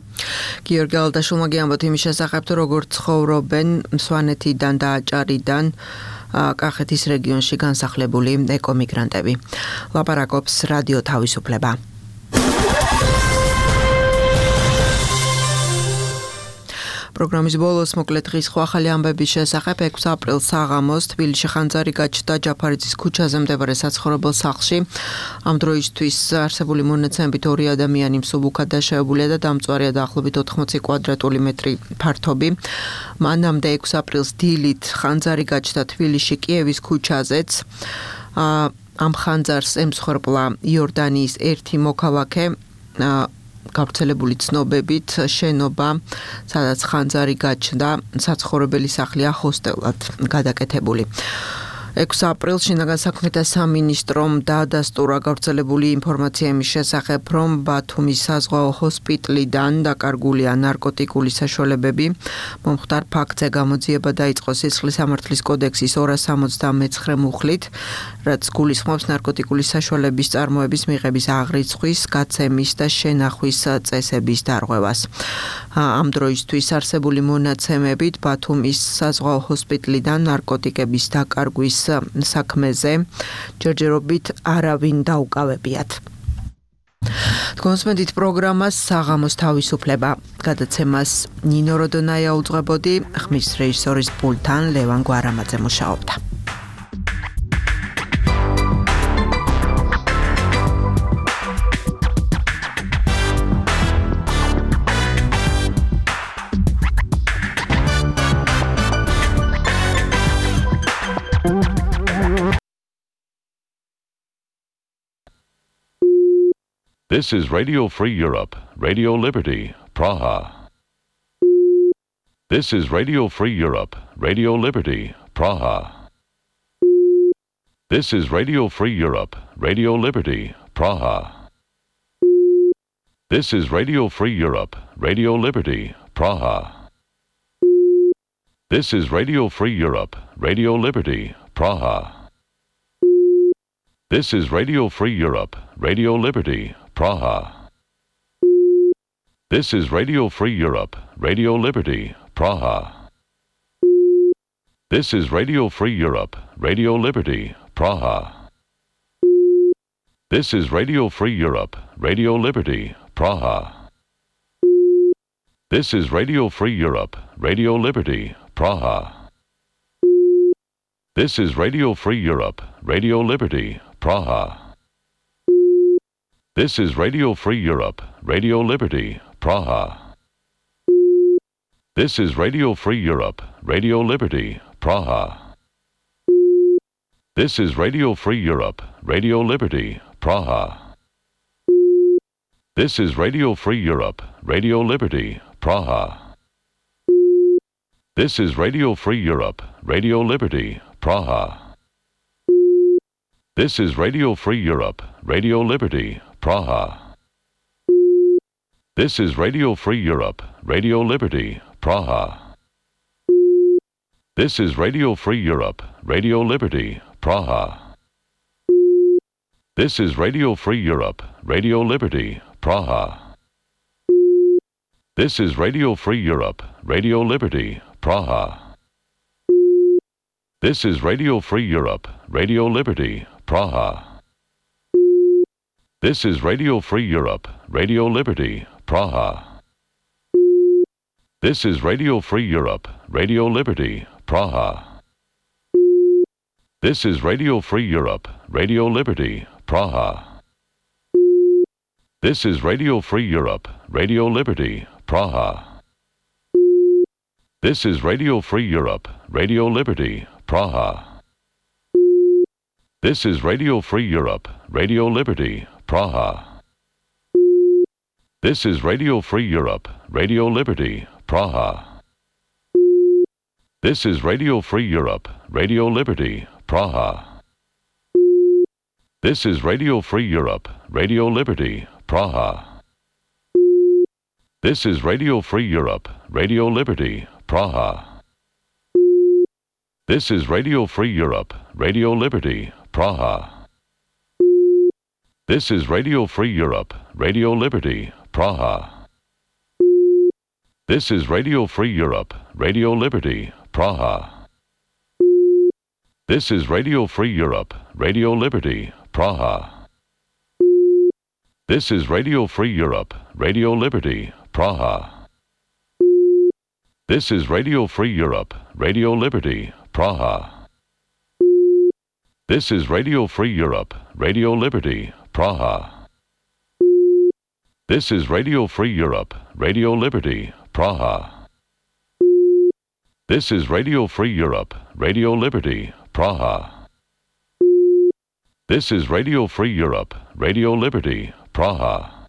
გიორგი ალდაშულმა გიამბოთ იმის შესახებ, როგორ ცხოვრობენ სვანეთიდან და აჭარიდან კახეთის რეგიონში განსახლებული ეკომიგრანტები. ლაპარაკობს რადიო თავისუფლება. პროგრამის ბოლოს მოკლედ დღის ახალი ამბების შესახებ 6 აპრილს საღამოს თბილისში ხანძარი გაჩნდა ჯაფარიძის ქუჩაზე მდებარე საცხოვრებელ სახლში. ამ დროისთვის არსებული მონაცემებით 2 ადამიანი მსუბუქად დაშავებულია და დამწვარია დაახლოებით 80 კვადრატული მეტრი ფართობი. მანამდე 6 აპრილს დილით ხანძარი გაჩნდა თბილისში კიევის ქუჩაზეც. ამ ხანძარს ემსხვერპლა იორდანიის ერთი მოქალაქე. გავრცელებული ცნობებით შენობა, სადაც ხანძარი გაჩნდა, საცხოვრებელი სახლია ჰოსტელად გადაკეთებული. 6 აპრილს შინაგან საქმეთა სამინისტრომ დაადასტურა გავრცელებული ინფორმაცია იმის შესახებ, რომ ბათუმის საზღვაო ჰოსპიტლიდან დაკარგულია ნარკოტიკული საშუალებები. მომხდარ ფაქტზე გამოძიება დაიწყო სისხლის სამართლის კოდექსის 279 მუხლით, რაც გულისხმობს ნარკოტიკული საშუალების წარმოების მიღების აღრიცხვის, გაცემის და შენახვის წესების დარღვევას. ამ დროისთვის არსებული მონაცემებით ბათუმის საზღვაო ჰოსპიტლიდან ნარკოტიკების დაკარგვის საქმეზე ჯერჯერობით არავინ დაუკავებიათ. კონსმედით პროგრამას საღამოს თავისუფლება გადაცემას ნინო როდონაია უძღვებოდი, ხმის რეჟისორის პულტთან ლევან გვარამაძე მუშაობდა. This is Radio Free Europe, Radio Liberty, Praha. This is Radio Free Europe, Radio Liberty, Praha. This is Radio Free Europe, Radio Liberty, Praha. This is Radio Free Europe, Radio Liberty, Praha. This is Radio Free Europe, Radio Liberty, Praha. This is Radio Free Europe, Radio Liberty, Praha. This is Radio Free Europe, Radio Liberty, Praha. This is Radio Free Europe, Radio Liberty, Praha. This is Radio Free Europe, Radio Liberty, Praha. This is Radio Free Europe, Radio Liberty, Praha. This is Radio Free Europe, Radio Liberty, Praha. This is Radio Free Europe, Radio Liberty, Praha. This is Radio Free Europe, Radio Liberty, Praha. This is Radio Free Europe, Radio Liberty, Praha. This is Radio Free Europe, Radio Liberty, Praha. This is Radio Free Europe, Radio Liberty, Praha. This is Radio Free Europe, Radio Liberty, Praha. This is Radio Free Europe, Radio Liberty, Praha. This is Radio Free Europe, Radio Liberty, Praha. This is Radio Free Europe, Radio Liberty, Praha. This is Radio Free Europe, Radio Liberty, Praha. This is Radio Free Europe, Radio Liberty, Praha. This is Radio Free Europe, Radio Liberty, Praha. This is Radio Free Europe, Radio Liberty, Praha. This is Radio Free Europe, Radio Liberty, Praha. This is Radio Free Europe, Radio Liberty, Praha. This is Radio Free Europe, Radio Liberty, Praha. This is Radio Free Europe, Radio Liberty, Praha. This is Radio Free Europe, Radio Liberty, Praha. This is Radio Free Europe, Radio Liberty, Praha. This is Radio Free Europe, Radio Liberty, Praha. This is Radio Free Europe, Radio Liberty, Praha. This is Radio Free Europe, Radio Liberty, Praha. This is Radio Free Europe, Radio Liberty, Praha. This is Radio Free Europe, Radio Liberty, Praha. This is Radio Free Europe, Radio Liberty, Praha. This is Radio Free Europe, Radio Liberty, Praha. This is Radio Free Europe, Radio Liberty, Praha. This is Radio Free Europe, Radio Liberty, Praha. This is Radio Free Europe, Radio Liberty, Praha. This is Radio Free Europe, Radio Liberty, Praha. This is Radio Free Europe, Radio Liberty, Praha.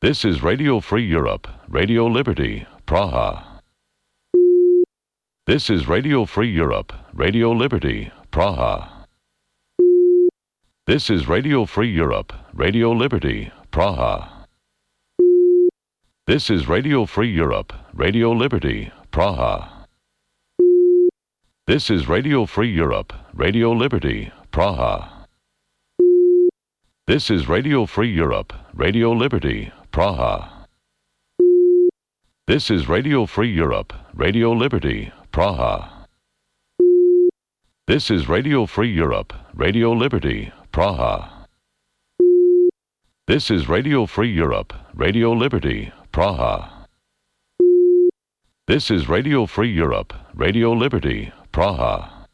This is Radio Free Europe, Radio Liberty, Praha. This is Radio Free Europe, Radio Liberty, Praha. This is Radio Free Europe, Radio Liberty, Praha. This is Radio Free Europe, Radio Liberty, Praha. This is Radio Free Europe, Radio Liberty, Praha. This is Radio Free Europe, Radio Liberty, Praha. This is Radio Free Europe, Radio Liberty, Praha. This is Radio Free Europe, Radio Liberty, Praha. This is Radio Free Europe, Radio Liberty, Praha. This is Radio Free Europe, Radio Liberty, Praha.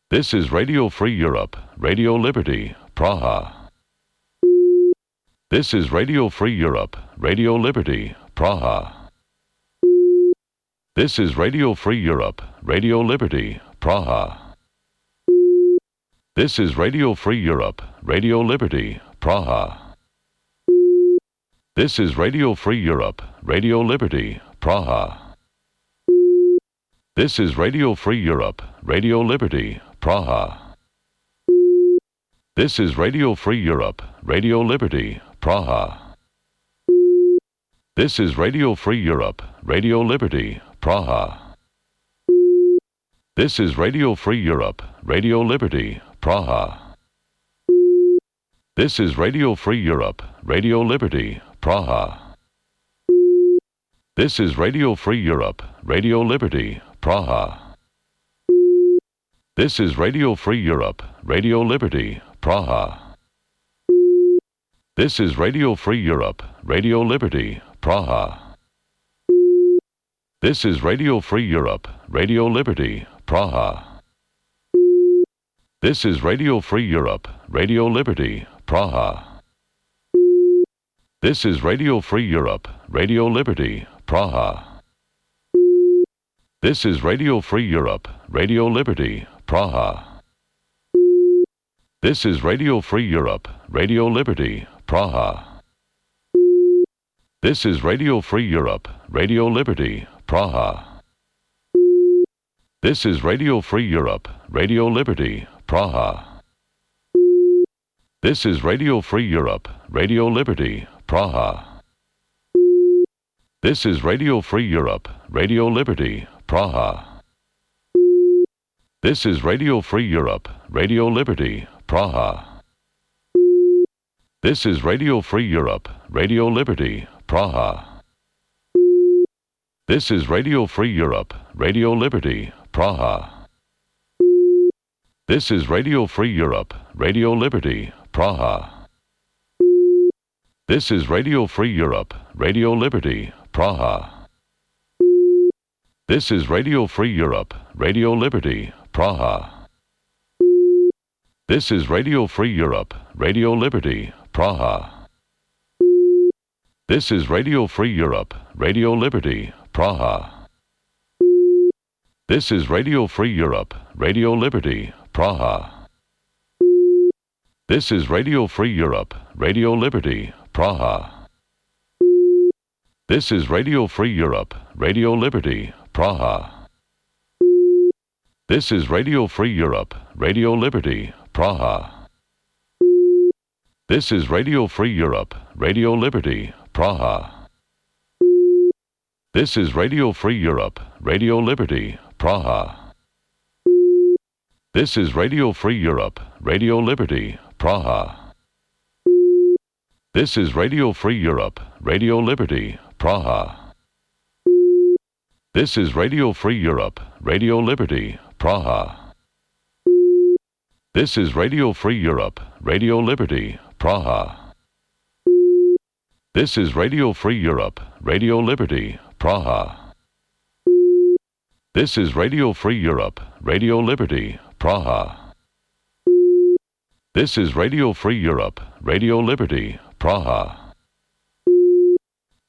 This is Radio Free Europe, Radio Liberty, Praha. This is Radio Free Europe, Radio Liberty, Praha. This is Radio Free Europe, Radio Liberty, Praha. This is Radio Free Europe, Radio Liberty, Praha. This is Radio Free Europe, Radio Liberty, Praha. This is Radio Free Europe, Radio Liberty, Praha. This is Radio Free Europe, Radio Liberty, Praha. This is Radio Free Europe, Radio Liberty, Praha. This is Radio Free Europe, Radio Liberty, Praha. This is Radio Free Europe, Radio Liberty, Praha. This is Radio Free Europe, Radio Liberty, Praha. This is Radio Free Europe, Radio Liberty, Praha. This is Radio Free Europe, Radio Liberty, Praha. This is Radio Free Europe, Radio Liberty, Praha. This is Radio Free Europe, Radio Liberty, Praha. This is Radio Free Europe, Radio Liberty, Praha. This is Radio Free Europe, Radio Liberty, Praha. This is Radio Free Europe, Radio Liberty, Praha. This is Radio Free Europe, Radio Liberty, Praha. This is Radio Free Europe, Radio Liberty, Praha. This is Radio Free Europe, Radio Liberty, Praha. This is Radio Free Europe, Radio Liberty, Praha. This is Radio Free Europe, Radio Liberty, Praha. This is Radio Free Europe, Radio Liberty, Praha. This is Radio Free Europe, Radio Liberty, Praha. This is Radio Free Europe, Radio Liberty, Praha. This is Radio Free Europe, Radio Liberty, Praha. This is Radio Free Europe, Radio Liberty, Praha. This is Radio Free Europe, Radio Liberty, Praha. This is Radio Free Europe, Radio Liberty, Praha. This is Radio Free Europe, Radio Liberty, Praha. This is Radio Free Europe, Radio Liberty, Praha. This is Radio Free Europe, Radio Liberty, Praha. This is Radio Free Europe, Radio Liberty, Praha. This is Radio Free Europe, Radio Liberty, Praha. This is Radio Free Europe, Radio Liberty, Praha. This is Radio Free Europe, Radio Liberty, Praha. This is Radio Free Europe, Radio Liberty, Praha. This is Radio Free Europe, Radio Liberty, Praha. This is Radio Free Europe, Radio Liberty, Praha. This is Radio Free Europe, Radio Liberty, Praha. This is Radio Free Europe, Radio Liberty, Praha. This is Radio Free Europe, Radio Liberty, Praha.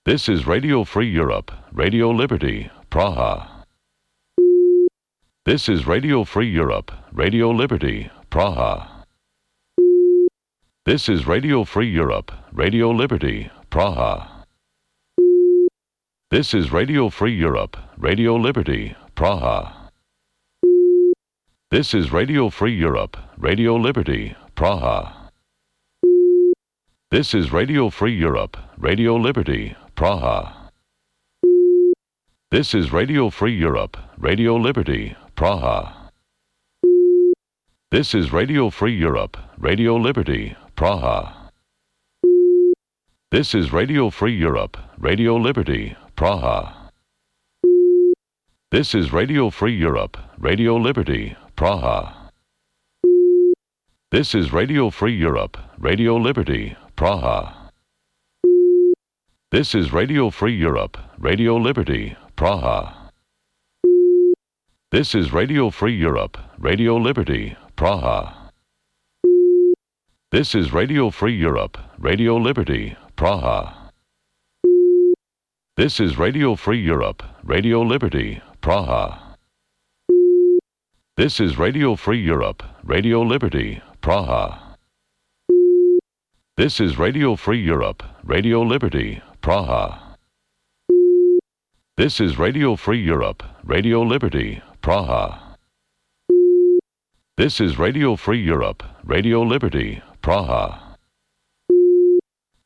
This is Radio Free Europe, Radio Liberty, Praha. This is Radio Free Europe, Radio Liberty, Praha. This is Radio Free Europe, Radio Liberty, Praha. This is Radio Free Europe, Radio Liberty, Praha. This is Radio Free Europe, Radio Liberty, Praha. This is Radio Free Europe, Radio Liberty, Praha. This is Radio Free Europe, Radio Liberty, Praha. This is Radio Free Europe, Radio Liberty, Praha. This is Radio Free Europe, Radio Liberty, Praha. This is Radio Free Europe, Radio Liberty, Praha. This is Radio Free Europe, Radio Liberty, Praha. This is Radio Free Europe, Radio Liberty, Praha. This is Radio Free Europe, Radio Liberty, Praha. This is Radio Free Europe, Radio Liberty, Praha. This is Radio Free Europe, Radio Liberty, Praha. This is Radio Free Europe, Radio Liberty, Praha. This is Radio Free Europe, Radio Liberty, Praha. This is Radio Free Europe, Radio Liberty, Praha. This is Radio Free Europe, Radio Liberty, Praha.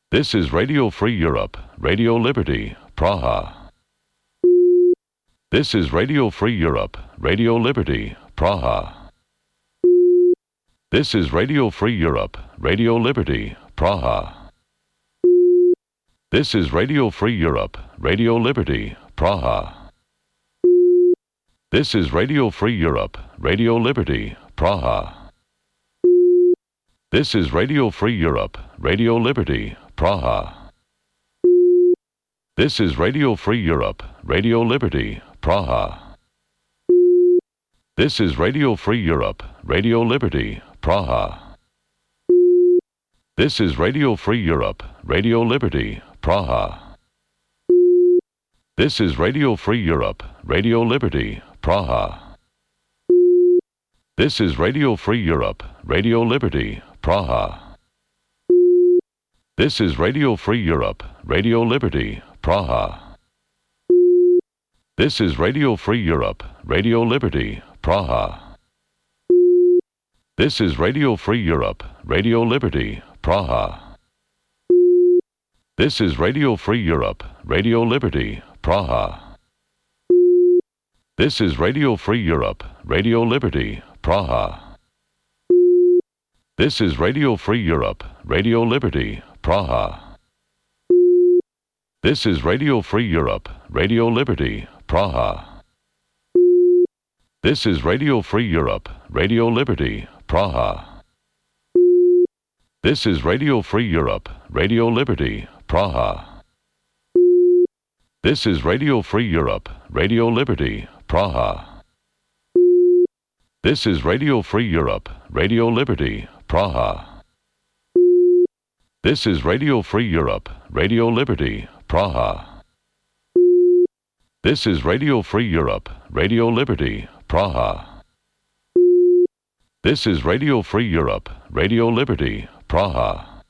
This is Radio Free Europe, Radio Liberty, Praha. This is Radio Free Europe, Radio Liberty, Praha. This is Radio Free Europe, Radio Liberty, Praha. This is Radio Free Europe, Radio Liberty, Praha. This is Radio Free Europe, Radio Liberty, Praha. This is Radio Free Europe, Radio Liberty, Praha. This is Radio Free Europe, Radio Liberty, Praha. This is Radio Free Europe, Radio Liberty, Praha. This is Radio Free Europe, Radio Liberty, Praha. This is Radio Free Europe, Radio Liberty, Praha. This is Radio Free Europe, Radio Liberty, Praha. This is Radio Free Europe, Radio Liberty, Praha. This is Radio Free Europe, Radio Liberty, Praha. This is Radio Free Europe, Radio Liberty, Praha. This is Radio Free Europe, Radio Liberty, Praha. This is Radio Free Europe, Radio Liberty, Praha. This is Radio Free Europe, Radio Liberty, Praha. This is Radio Free Europe, Radio Liberty, Praha. This is Radio Free Europe, Radio Liberty, Praha. This is Radio Free Europe, Radio Liberty, Praha. This is Radio Free Europe, Radio Liberty, Praha. This is Radio Free Europe, Radio Liberty, Praha. This is Radio Free Europe, Radio Liberty, Praha. This is Radio Free Europe, Radio Liberty, Praha. This is Radio Free Europe, Radio Liberty, Praha.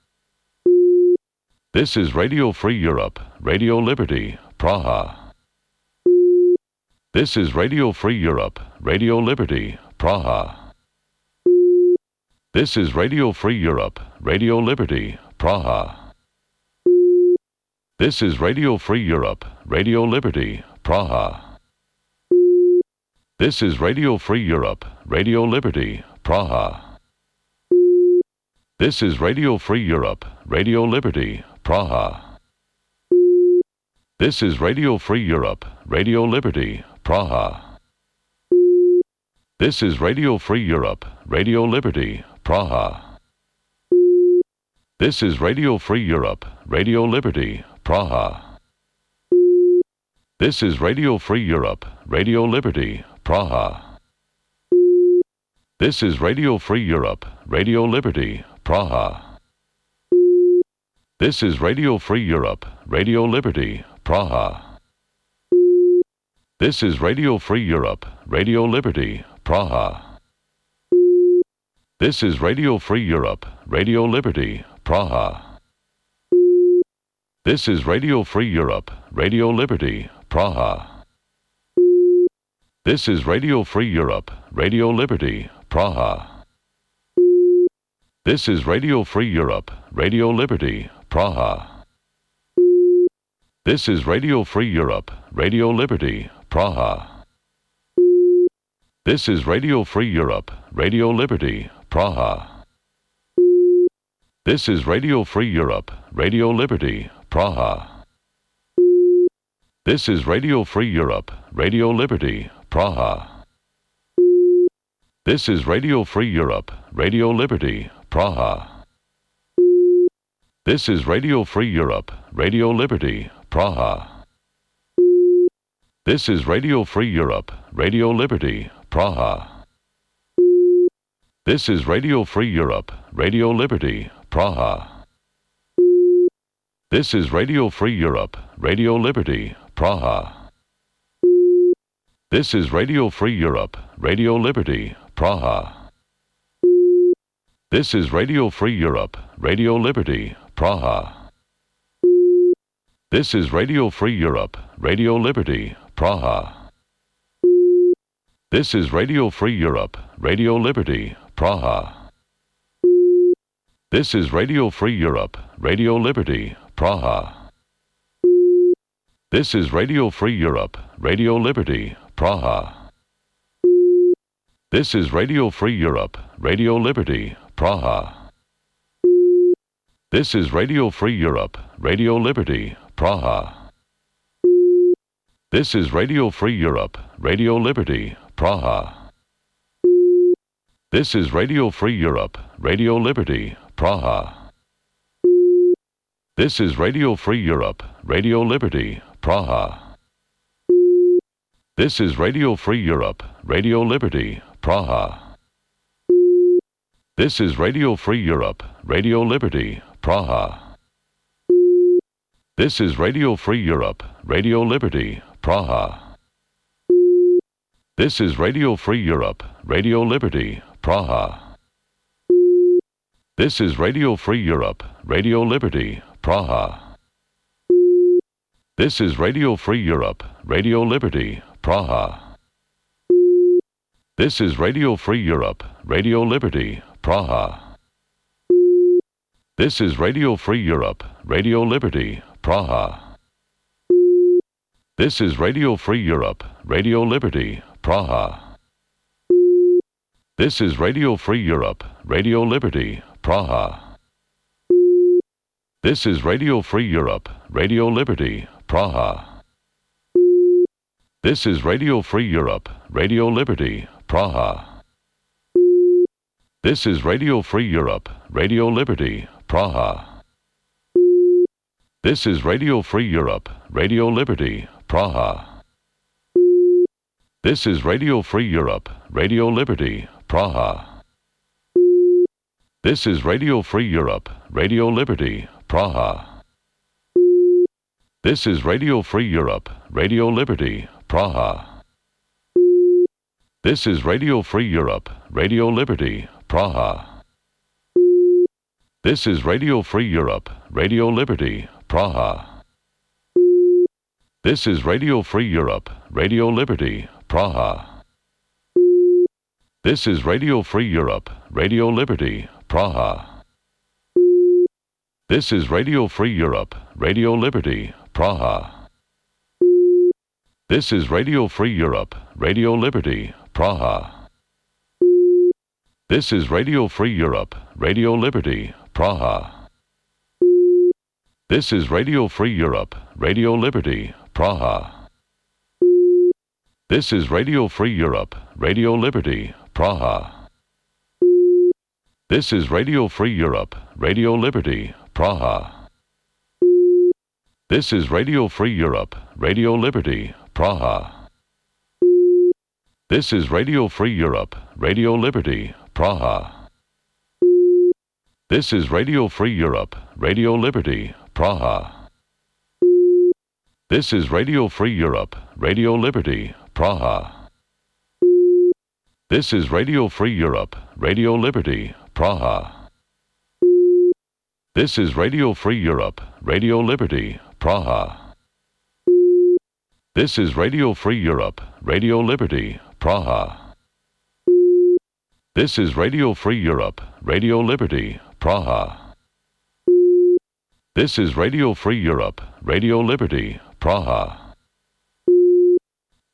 This is Radio Free Europe, Radio Liberty, Praha. This is Radio Free Europe, Radio Liberty, Praha. This is Radio Free Europe, Radio Liberty, Praha. This is Radio Free Europe, Radio Liberty, Praha. This is Radio Free Europe, Radio Liberty, Praha. This is Radio Free Europe, Radio Liberty, Praha. This is Radio Free Europe, Radio Liberty, Praha. This is Radio Free Europe, Radio Liberty, Praha. This is Radio Free Europe, Radio Liberty, Praha. This is Radio Free Europe, Radio Liberty, Praha. This is Radio Free Europe, Radio Liberty, Praha. This is Radio Free Europe, Radio Liberty, Praha. This is Radio Free Europe, Radio Liberty, Praha. This is Radio Free Europe, Radio Liberty, Praha. This is Radio Free Europe, Radio Liberty, Praha. This is Radio Free Europe, Radio Liberty, Praha. This is Radio Free Europe, Radio Liberty, Praha. This is Radio Free Europe, Radio Liberty, Praha. This is Radio Free Europe, Radio Liberty, Praha. This is Radio Free Europe, Radio Liberty, Praha. This is Radio Free Europe, Radio Liberty, Praha. This is Radio Free Europe, Radio Liberty, Praha. This is Radio Free Europe, Radio Liberty, Praha. This is Radio Free Europe, Radio Liberty, Praha. This is Radio Free Europe, Radio Liberty, Praha. This is Radio Free Europe, Radio Liberty, Praha. This is Radio Free Europe, Radio Liberty, Praha. This is Radio Free Europe, Radio Liberty, Praha. This is Radio Free Europe, Radio Liberty, Praha. This is Radio Free Europe, Radio Liberty, Praha. This is Radio Free Europe, Radio Liberty, Praha. This is Radio Free Europe, Radio Liberty, Praha. This is Radio Free Europe, Radio Liberty, Praha. This is Radio Free Europe, Radio Liberty, Praha. This is Radio Free Europe, Radio Liberty, Praha. This is Radio Free Europe, Radio Liberty, Praha. This is Radio Free Europe, Radio Liberty, Praha. This is Radio Free Europe, Radio Liberty, Praha. This is Radio Free Europe, Radio Liberty, Praha. This is Radio Free Europe, Radio Liberty, Praha. This is Radio Free Europe, Radio Liberty, Praha. This is Radio Free Europe, Radio Liberty, Praha. This is Radio Free Europe, Radio Liberty, Praha. This is Radio Free Europe, Radio Liberty, Praha. This is Radio Free Europe, Radio Liberty, Praha. This is Radio Free Europe, Radio Liberty, Praha. This is Radio Free Europe, Radio Liberty, Praha. This is Radio Free Europe, Radio Liberty, Praha. This is Radio Free Europe, Radio Liberty, Praha. This is Radio Free Europe, Radio Liberty, Praha. This is Radio Free Europe, Radio Liberty, Praha. This is Radio Free Europe, Radio Liberty, Praha. This is Radio Free Europe, Radio Liberty, Praha. This is Radio Free Europe, Radio Liberty, Praha. This is Radio Free Europe, Radio Liberty, Praha. This is Radio Free Europe, Radio Liberty, Praha. This is Radio Free Europe, Radio Liberty, Praha. This is Radio Free Europe, Radio Liberty, Praha. This is Radio Free Europe, Radio Liberty, Praha. This is Radio Free Europe, Radio Liberty, Praha. This is Radio Free Europe, Radio Liberty, Praha. This is Radio Free Europe, Radio Liberty, Praha. This is Radio Free Europe, Radio Liberty, Praha. This is Radio Free Europe, Radio Liberty, Praha. This is Radio Free Europe, Radio Liberty, Praha. This is Radio Free Europe, Radio Liberty, Praha. This is Radio Free Europe, Radio Liberty, Praha. This is Radio Free Europe, Radio Liberty, Praha. This is Radio Free Europe, Radio Liberty, Praha. This is Radio Free Europe, Radio Liberty, Praha. This is Radio Free Europe, Radio Liberty, Praha. This is Radio Free Europe, Radio Liberty, Praha. This is Radio Free Europe, Radio Liberty, Praha.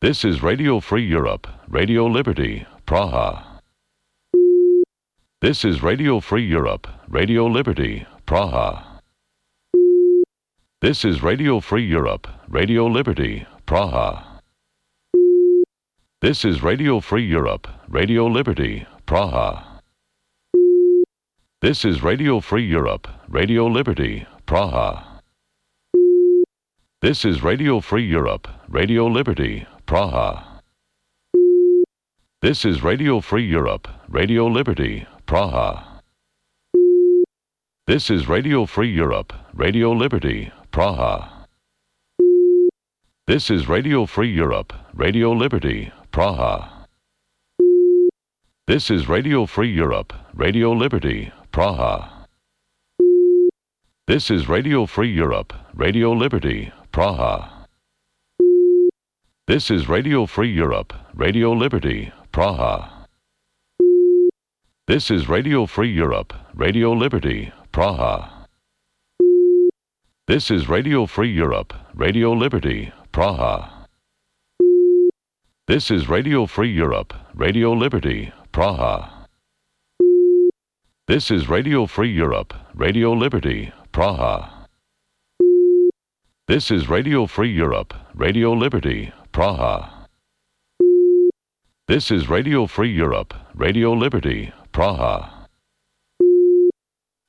This is Radio Free Europe, Radio Liberty, Praha. This is Radio Free Europe, Radio Liberty, Praha. This is Radio Free Europe, Radio Liberty, Praha. This is Radio Free Europe, Radio Liberty, Praha. This is Radio Free Europe, Radio Liberty, Praha. This is Radio Free Europe, Radio Liberty, Praha. This is Radio Free Europe, Radio Liberty, Praha. This is Radio Free Europe, Radio Liberty, Praha. This is Radio Free Europe, Radio Liberty, Praha. This is Radio Free Europe, Radio Liberty, Praha. This is Radio Free Europe, Radio Liberty, Praha. This is Radio Free Europe, Radio Liberty, Praha. This is Radio Free Europe, Radio Liberty, Praha. This is Radio Free Europe, Radio Liberty, Praha. This is Radio Free Europe, Radio Liberty, Praha. This is Radio Free Europe, Radio Liberty, Praha. This is Radio Free Europe, Radio Liberty, Praha. This is Radio Free Europe, Radio Liberty, Praha.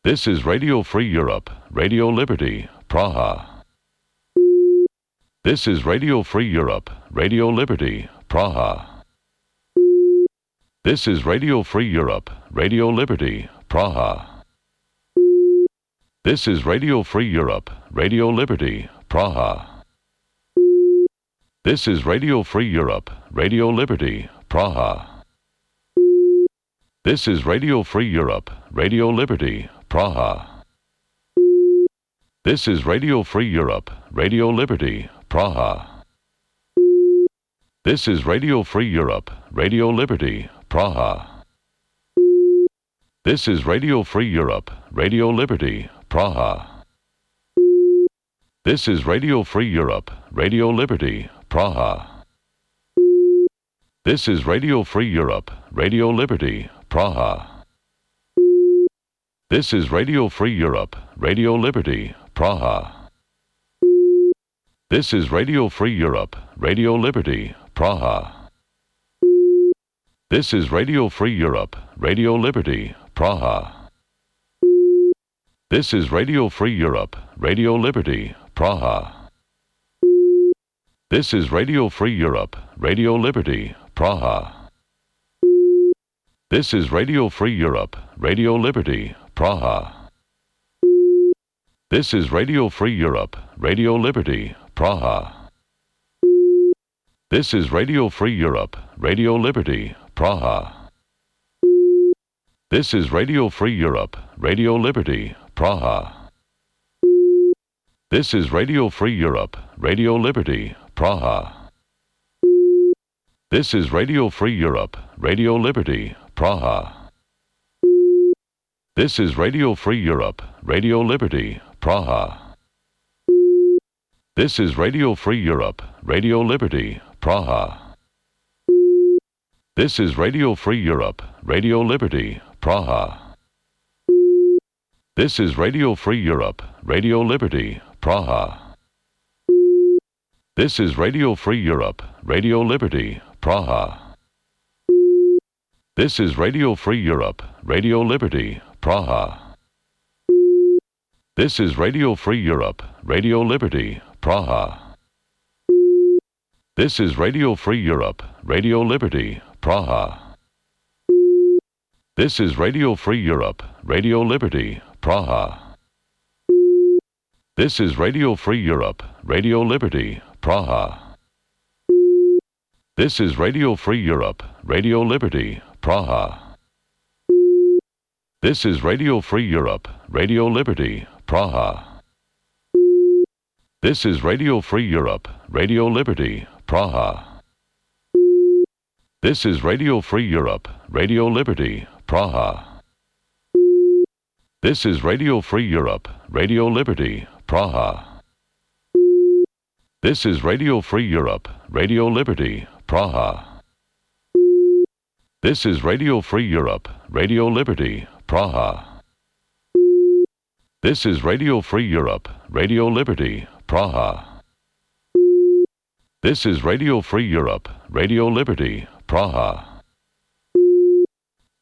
This is Radio Free Europe, Radio Liberty, Praha. This is Radio Free Europe, Radio Liberty, Praha. This is Radio Free Europe, Radio Liberty, Praha. This is Radio Free Europe, Radio Liberty, Praha. This is Radio Free Europe, Radio Liberty, Praha. This is Radio Free Europe, Radio Liberty, Praha. This is Radio Free Europe, Radio Liberty, Praha. This is Radio Free Europe, Radio Liberty, Praha. This is Radio Free Europe, Radio Liberty, Praha. This is Radio Free Europe, Radio Liberty, Praha. This is Radio Free Europe, Radio Liberty, Praha. This is Radio Free Europe, Radio Liberty, Praha. This is Radio Free Europe, Radio Liberty, Praha. This is Radio Free Europe, Radio Liberty, Praha. This is Radio Free Europe, Radio Liberty, Praha. This is Radio Free Europe, Radio Liberty, Praha. This is Radio Free Europe, Radio Liberty, Praha. This is Radio Free Europe, Radio Liberty, Praha. This is Radio Free Europe, Radio Liberty, Praha. This is Radio Free Europe, Radio Liberty, Praha. This is Radio Free Europe, Radio Liberty, Praha. This is Radio Free Europe, Radio Liberty, Praha. This is Radio Free Europe, Radio Liberty, Praha. This is Radio Free Europe, Radio Liberty, Praha. This is Radio Free Europe, Radio Liberty, Praha. This is Radio Free Europe, Radio Liberty, Praha. This is Radio Free Europe, Radio Liberty, Praha. This is Radio Free Europe, Radio Liberty, Praha. This is Radio Free Europe, Radio Liberty, Praha. This is Radio Free Europe, Radio Liberty, Praha. This is Radio Free Europe, Radio Liberty, Praha. This is Radio Free Europe, Radio Liberty, Praha. This is Radio Free Europe, Radio Liberty, Praha. This is Radio Free Europe, Radio Liberty, Praha. This is Radio Free Europe, Radio Liberty, Praha. This is Radio Free Europe, Radio Liberty, Praha. This is Radio Free Europe, Radio Liberty, Praha. This is Radio Free Europe, Radio Liberty, Praha. This is Radio Free Europe, Radio Liberty, Praha. This is Radio Free Europe, Radio Liberty, Praha. This is Radio Free Europe, Radio Liberty, Praha.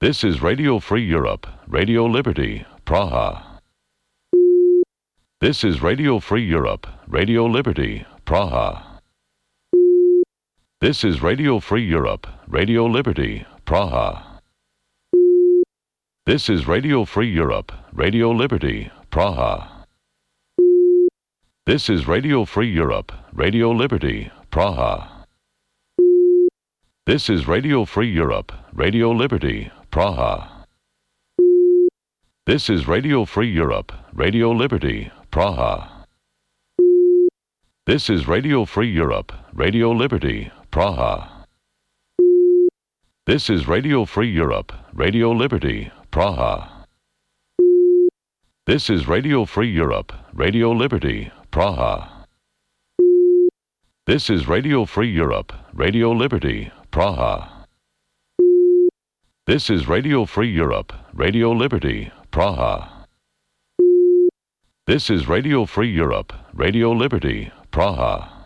This is Radio Free Europe, Radio Liberty, Praha. This is Radio Free Europe, Radio Liberty, Praha. This is Radio Free Europe, Radio Liberty, Praha. This is Radio Free Europe, Radio Liberty, Praha. This is Radio Free Europe, Radio Liberty, Praha. This is Radio Free Europe, Radio Liberty, Praha. This is Radio Free Europe, Radio Liberty, Praha. This is Radio Free Europe, Radio Liberty, Praha. This is Radio Free Europe, Radio Liberty, Praha. This is Radio Free Europe, Radio Liberty, Praha. This is Radio Free Europe, Radio Liberty, Praha. This is Radio Free Europe, Radio Liberty, Praha. This is Radio Free Europe, Radio Liberty, Praha.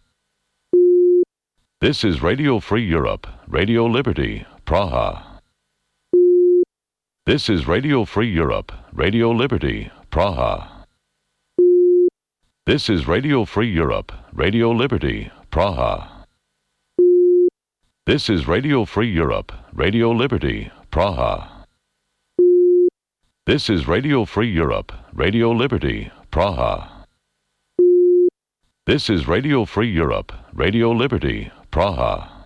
This is Radio Free Europe, Radio Liberty, Praha. This is Radio Free Europe, Radio Liberty, Praha. This is Radio Free Europe, Radio Liberty, Praha. This is Radio Free Europe, Radio Liberty, Praha. This is Radio Free Europe, Radio Liberty, Praha. This is Radio Free Europe, Radio Liberty, Praha.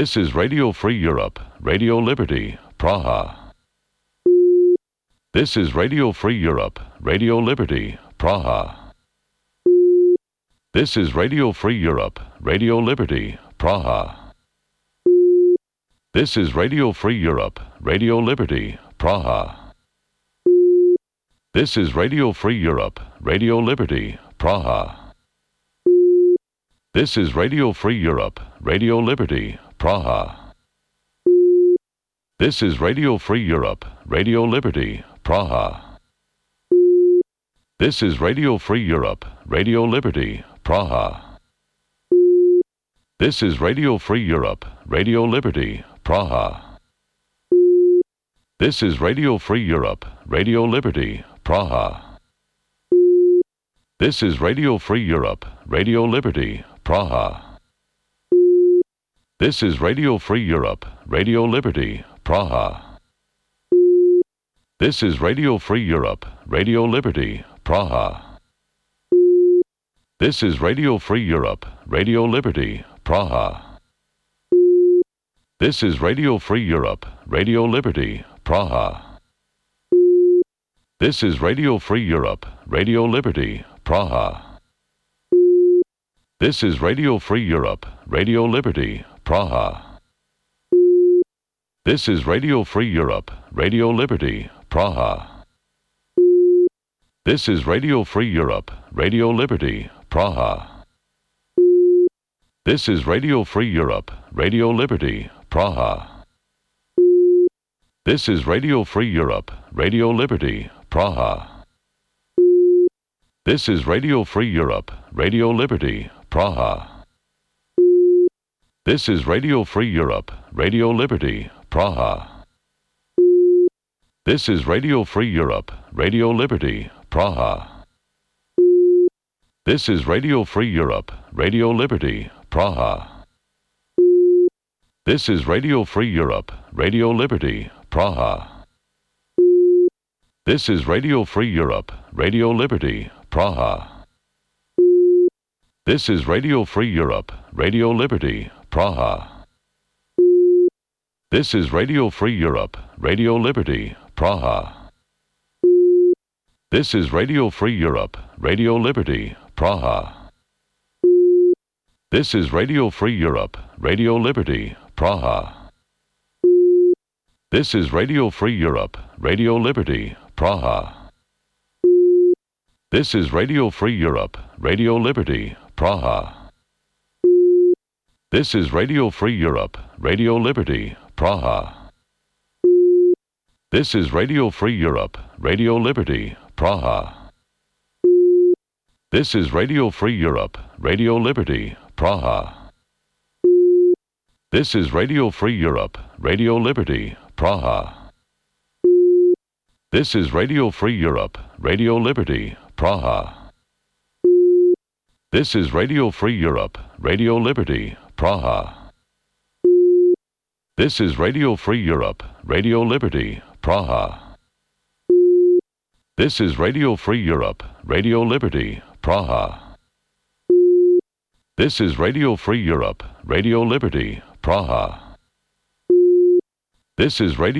This is Radio Free Europe, Radio Liberty, Praha. This is Radio Free Europe, Radio Liberty, Praha. This is Radio Free Europe, Radio Liberty, Praha. This is Radio Free Europe, Radio Liberty, Praha. This is Radio Free Europe, Radio Liberty, Praha. This is Radio Free Europe, Radio Liberty, Praha. This is Radio Free Europe, Radio Liberty, Praha. This is Radio Free Europe, Radio Liberty, Praha. This is Radio Free Europe, Radio Liberty, Praha. This is Radio Free Europe, Radio Liberty, Praha. This is Radio Free Europe, Radio Liberty, Praha. This is Radio Free Europe, Radio Liberty, Praha. This is Radio Free Europe, Radio Liberty, Praha. This is Radio Free Europe, Radio Liberty, Praha. This is Radio Free Europe, Radio Liberty, Praha. This is Radio Free Europe, Radio Liberty, Praha. This is Radio Free Europe, Radio Liberty, Praha. This is Radio Free Europe, Radio Liberty, Praha. This is Radio Free Europe, Radio Liberty, Praha. This is Radio Free Europe, Radio Liberty, Praha. This is Radio Free Europe, Radio Liberty, Praha. This is Radio Free Europe, Radio Liberty, Praha. This is Radio Free Europe, Radio Liberty, Praha. This is Radio Free Europe, Radio Liberty, Praha. This is Radio Free Europe, Radio Liberty, Praha. This is Radio Free Europe, Radio Liberty, Praha. This is Radio Free Europe, Radio Liberty, Praha. This is Radio Free Europe, Radio Liberty, Praha. This is Radio Free Europe, Radio Liberty, Praha. This is Radio Free Europe, Radio Liberty, Praha. This is Radio Free Europe, Radio Liberty, Praha. This is Radio Free Europe, Radio Liberty, Praha. This is Radio Free Europe, Radio Liberty, Praha. This is Radio Free Europe, Radio Liberty, Praha. This is Radio Free Europe, Radio Liberty, Praha. This is Radio Free Europe, Radio Liberty, Praha. This is Radio Free Europe, Radio Liberty, Praha. This is Radio Free Europe, Radio Liberty, Praha. This is Radio Free Europe, Radio Liberty, Praha. This is Radio Free Europe, Radio Liberty, Praha. This is Radio Free Europe, Radio Liberty, Praha. This is Radio Free Europe, Radio Liberty, Praha. This is Radio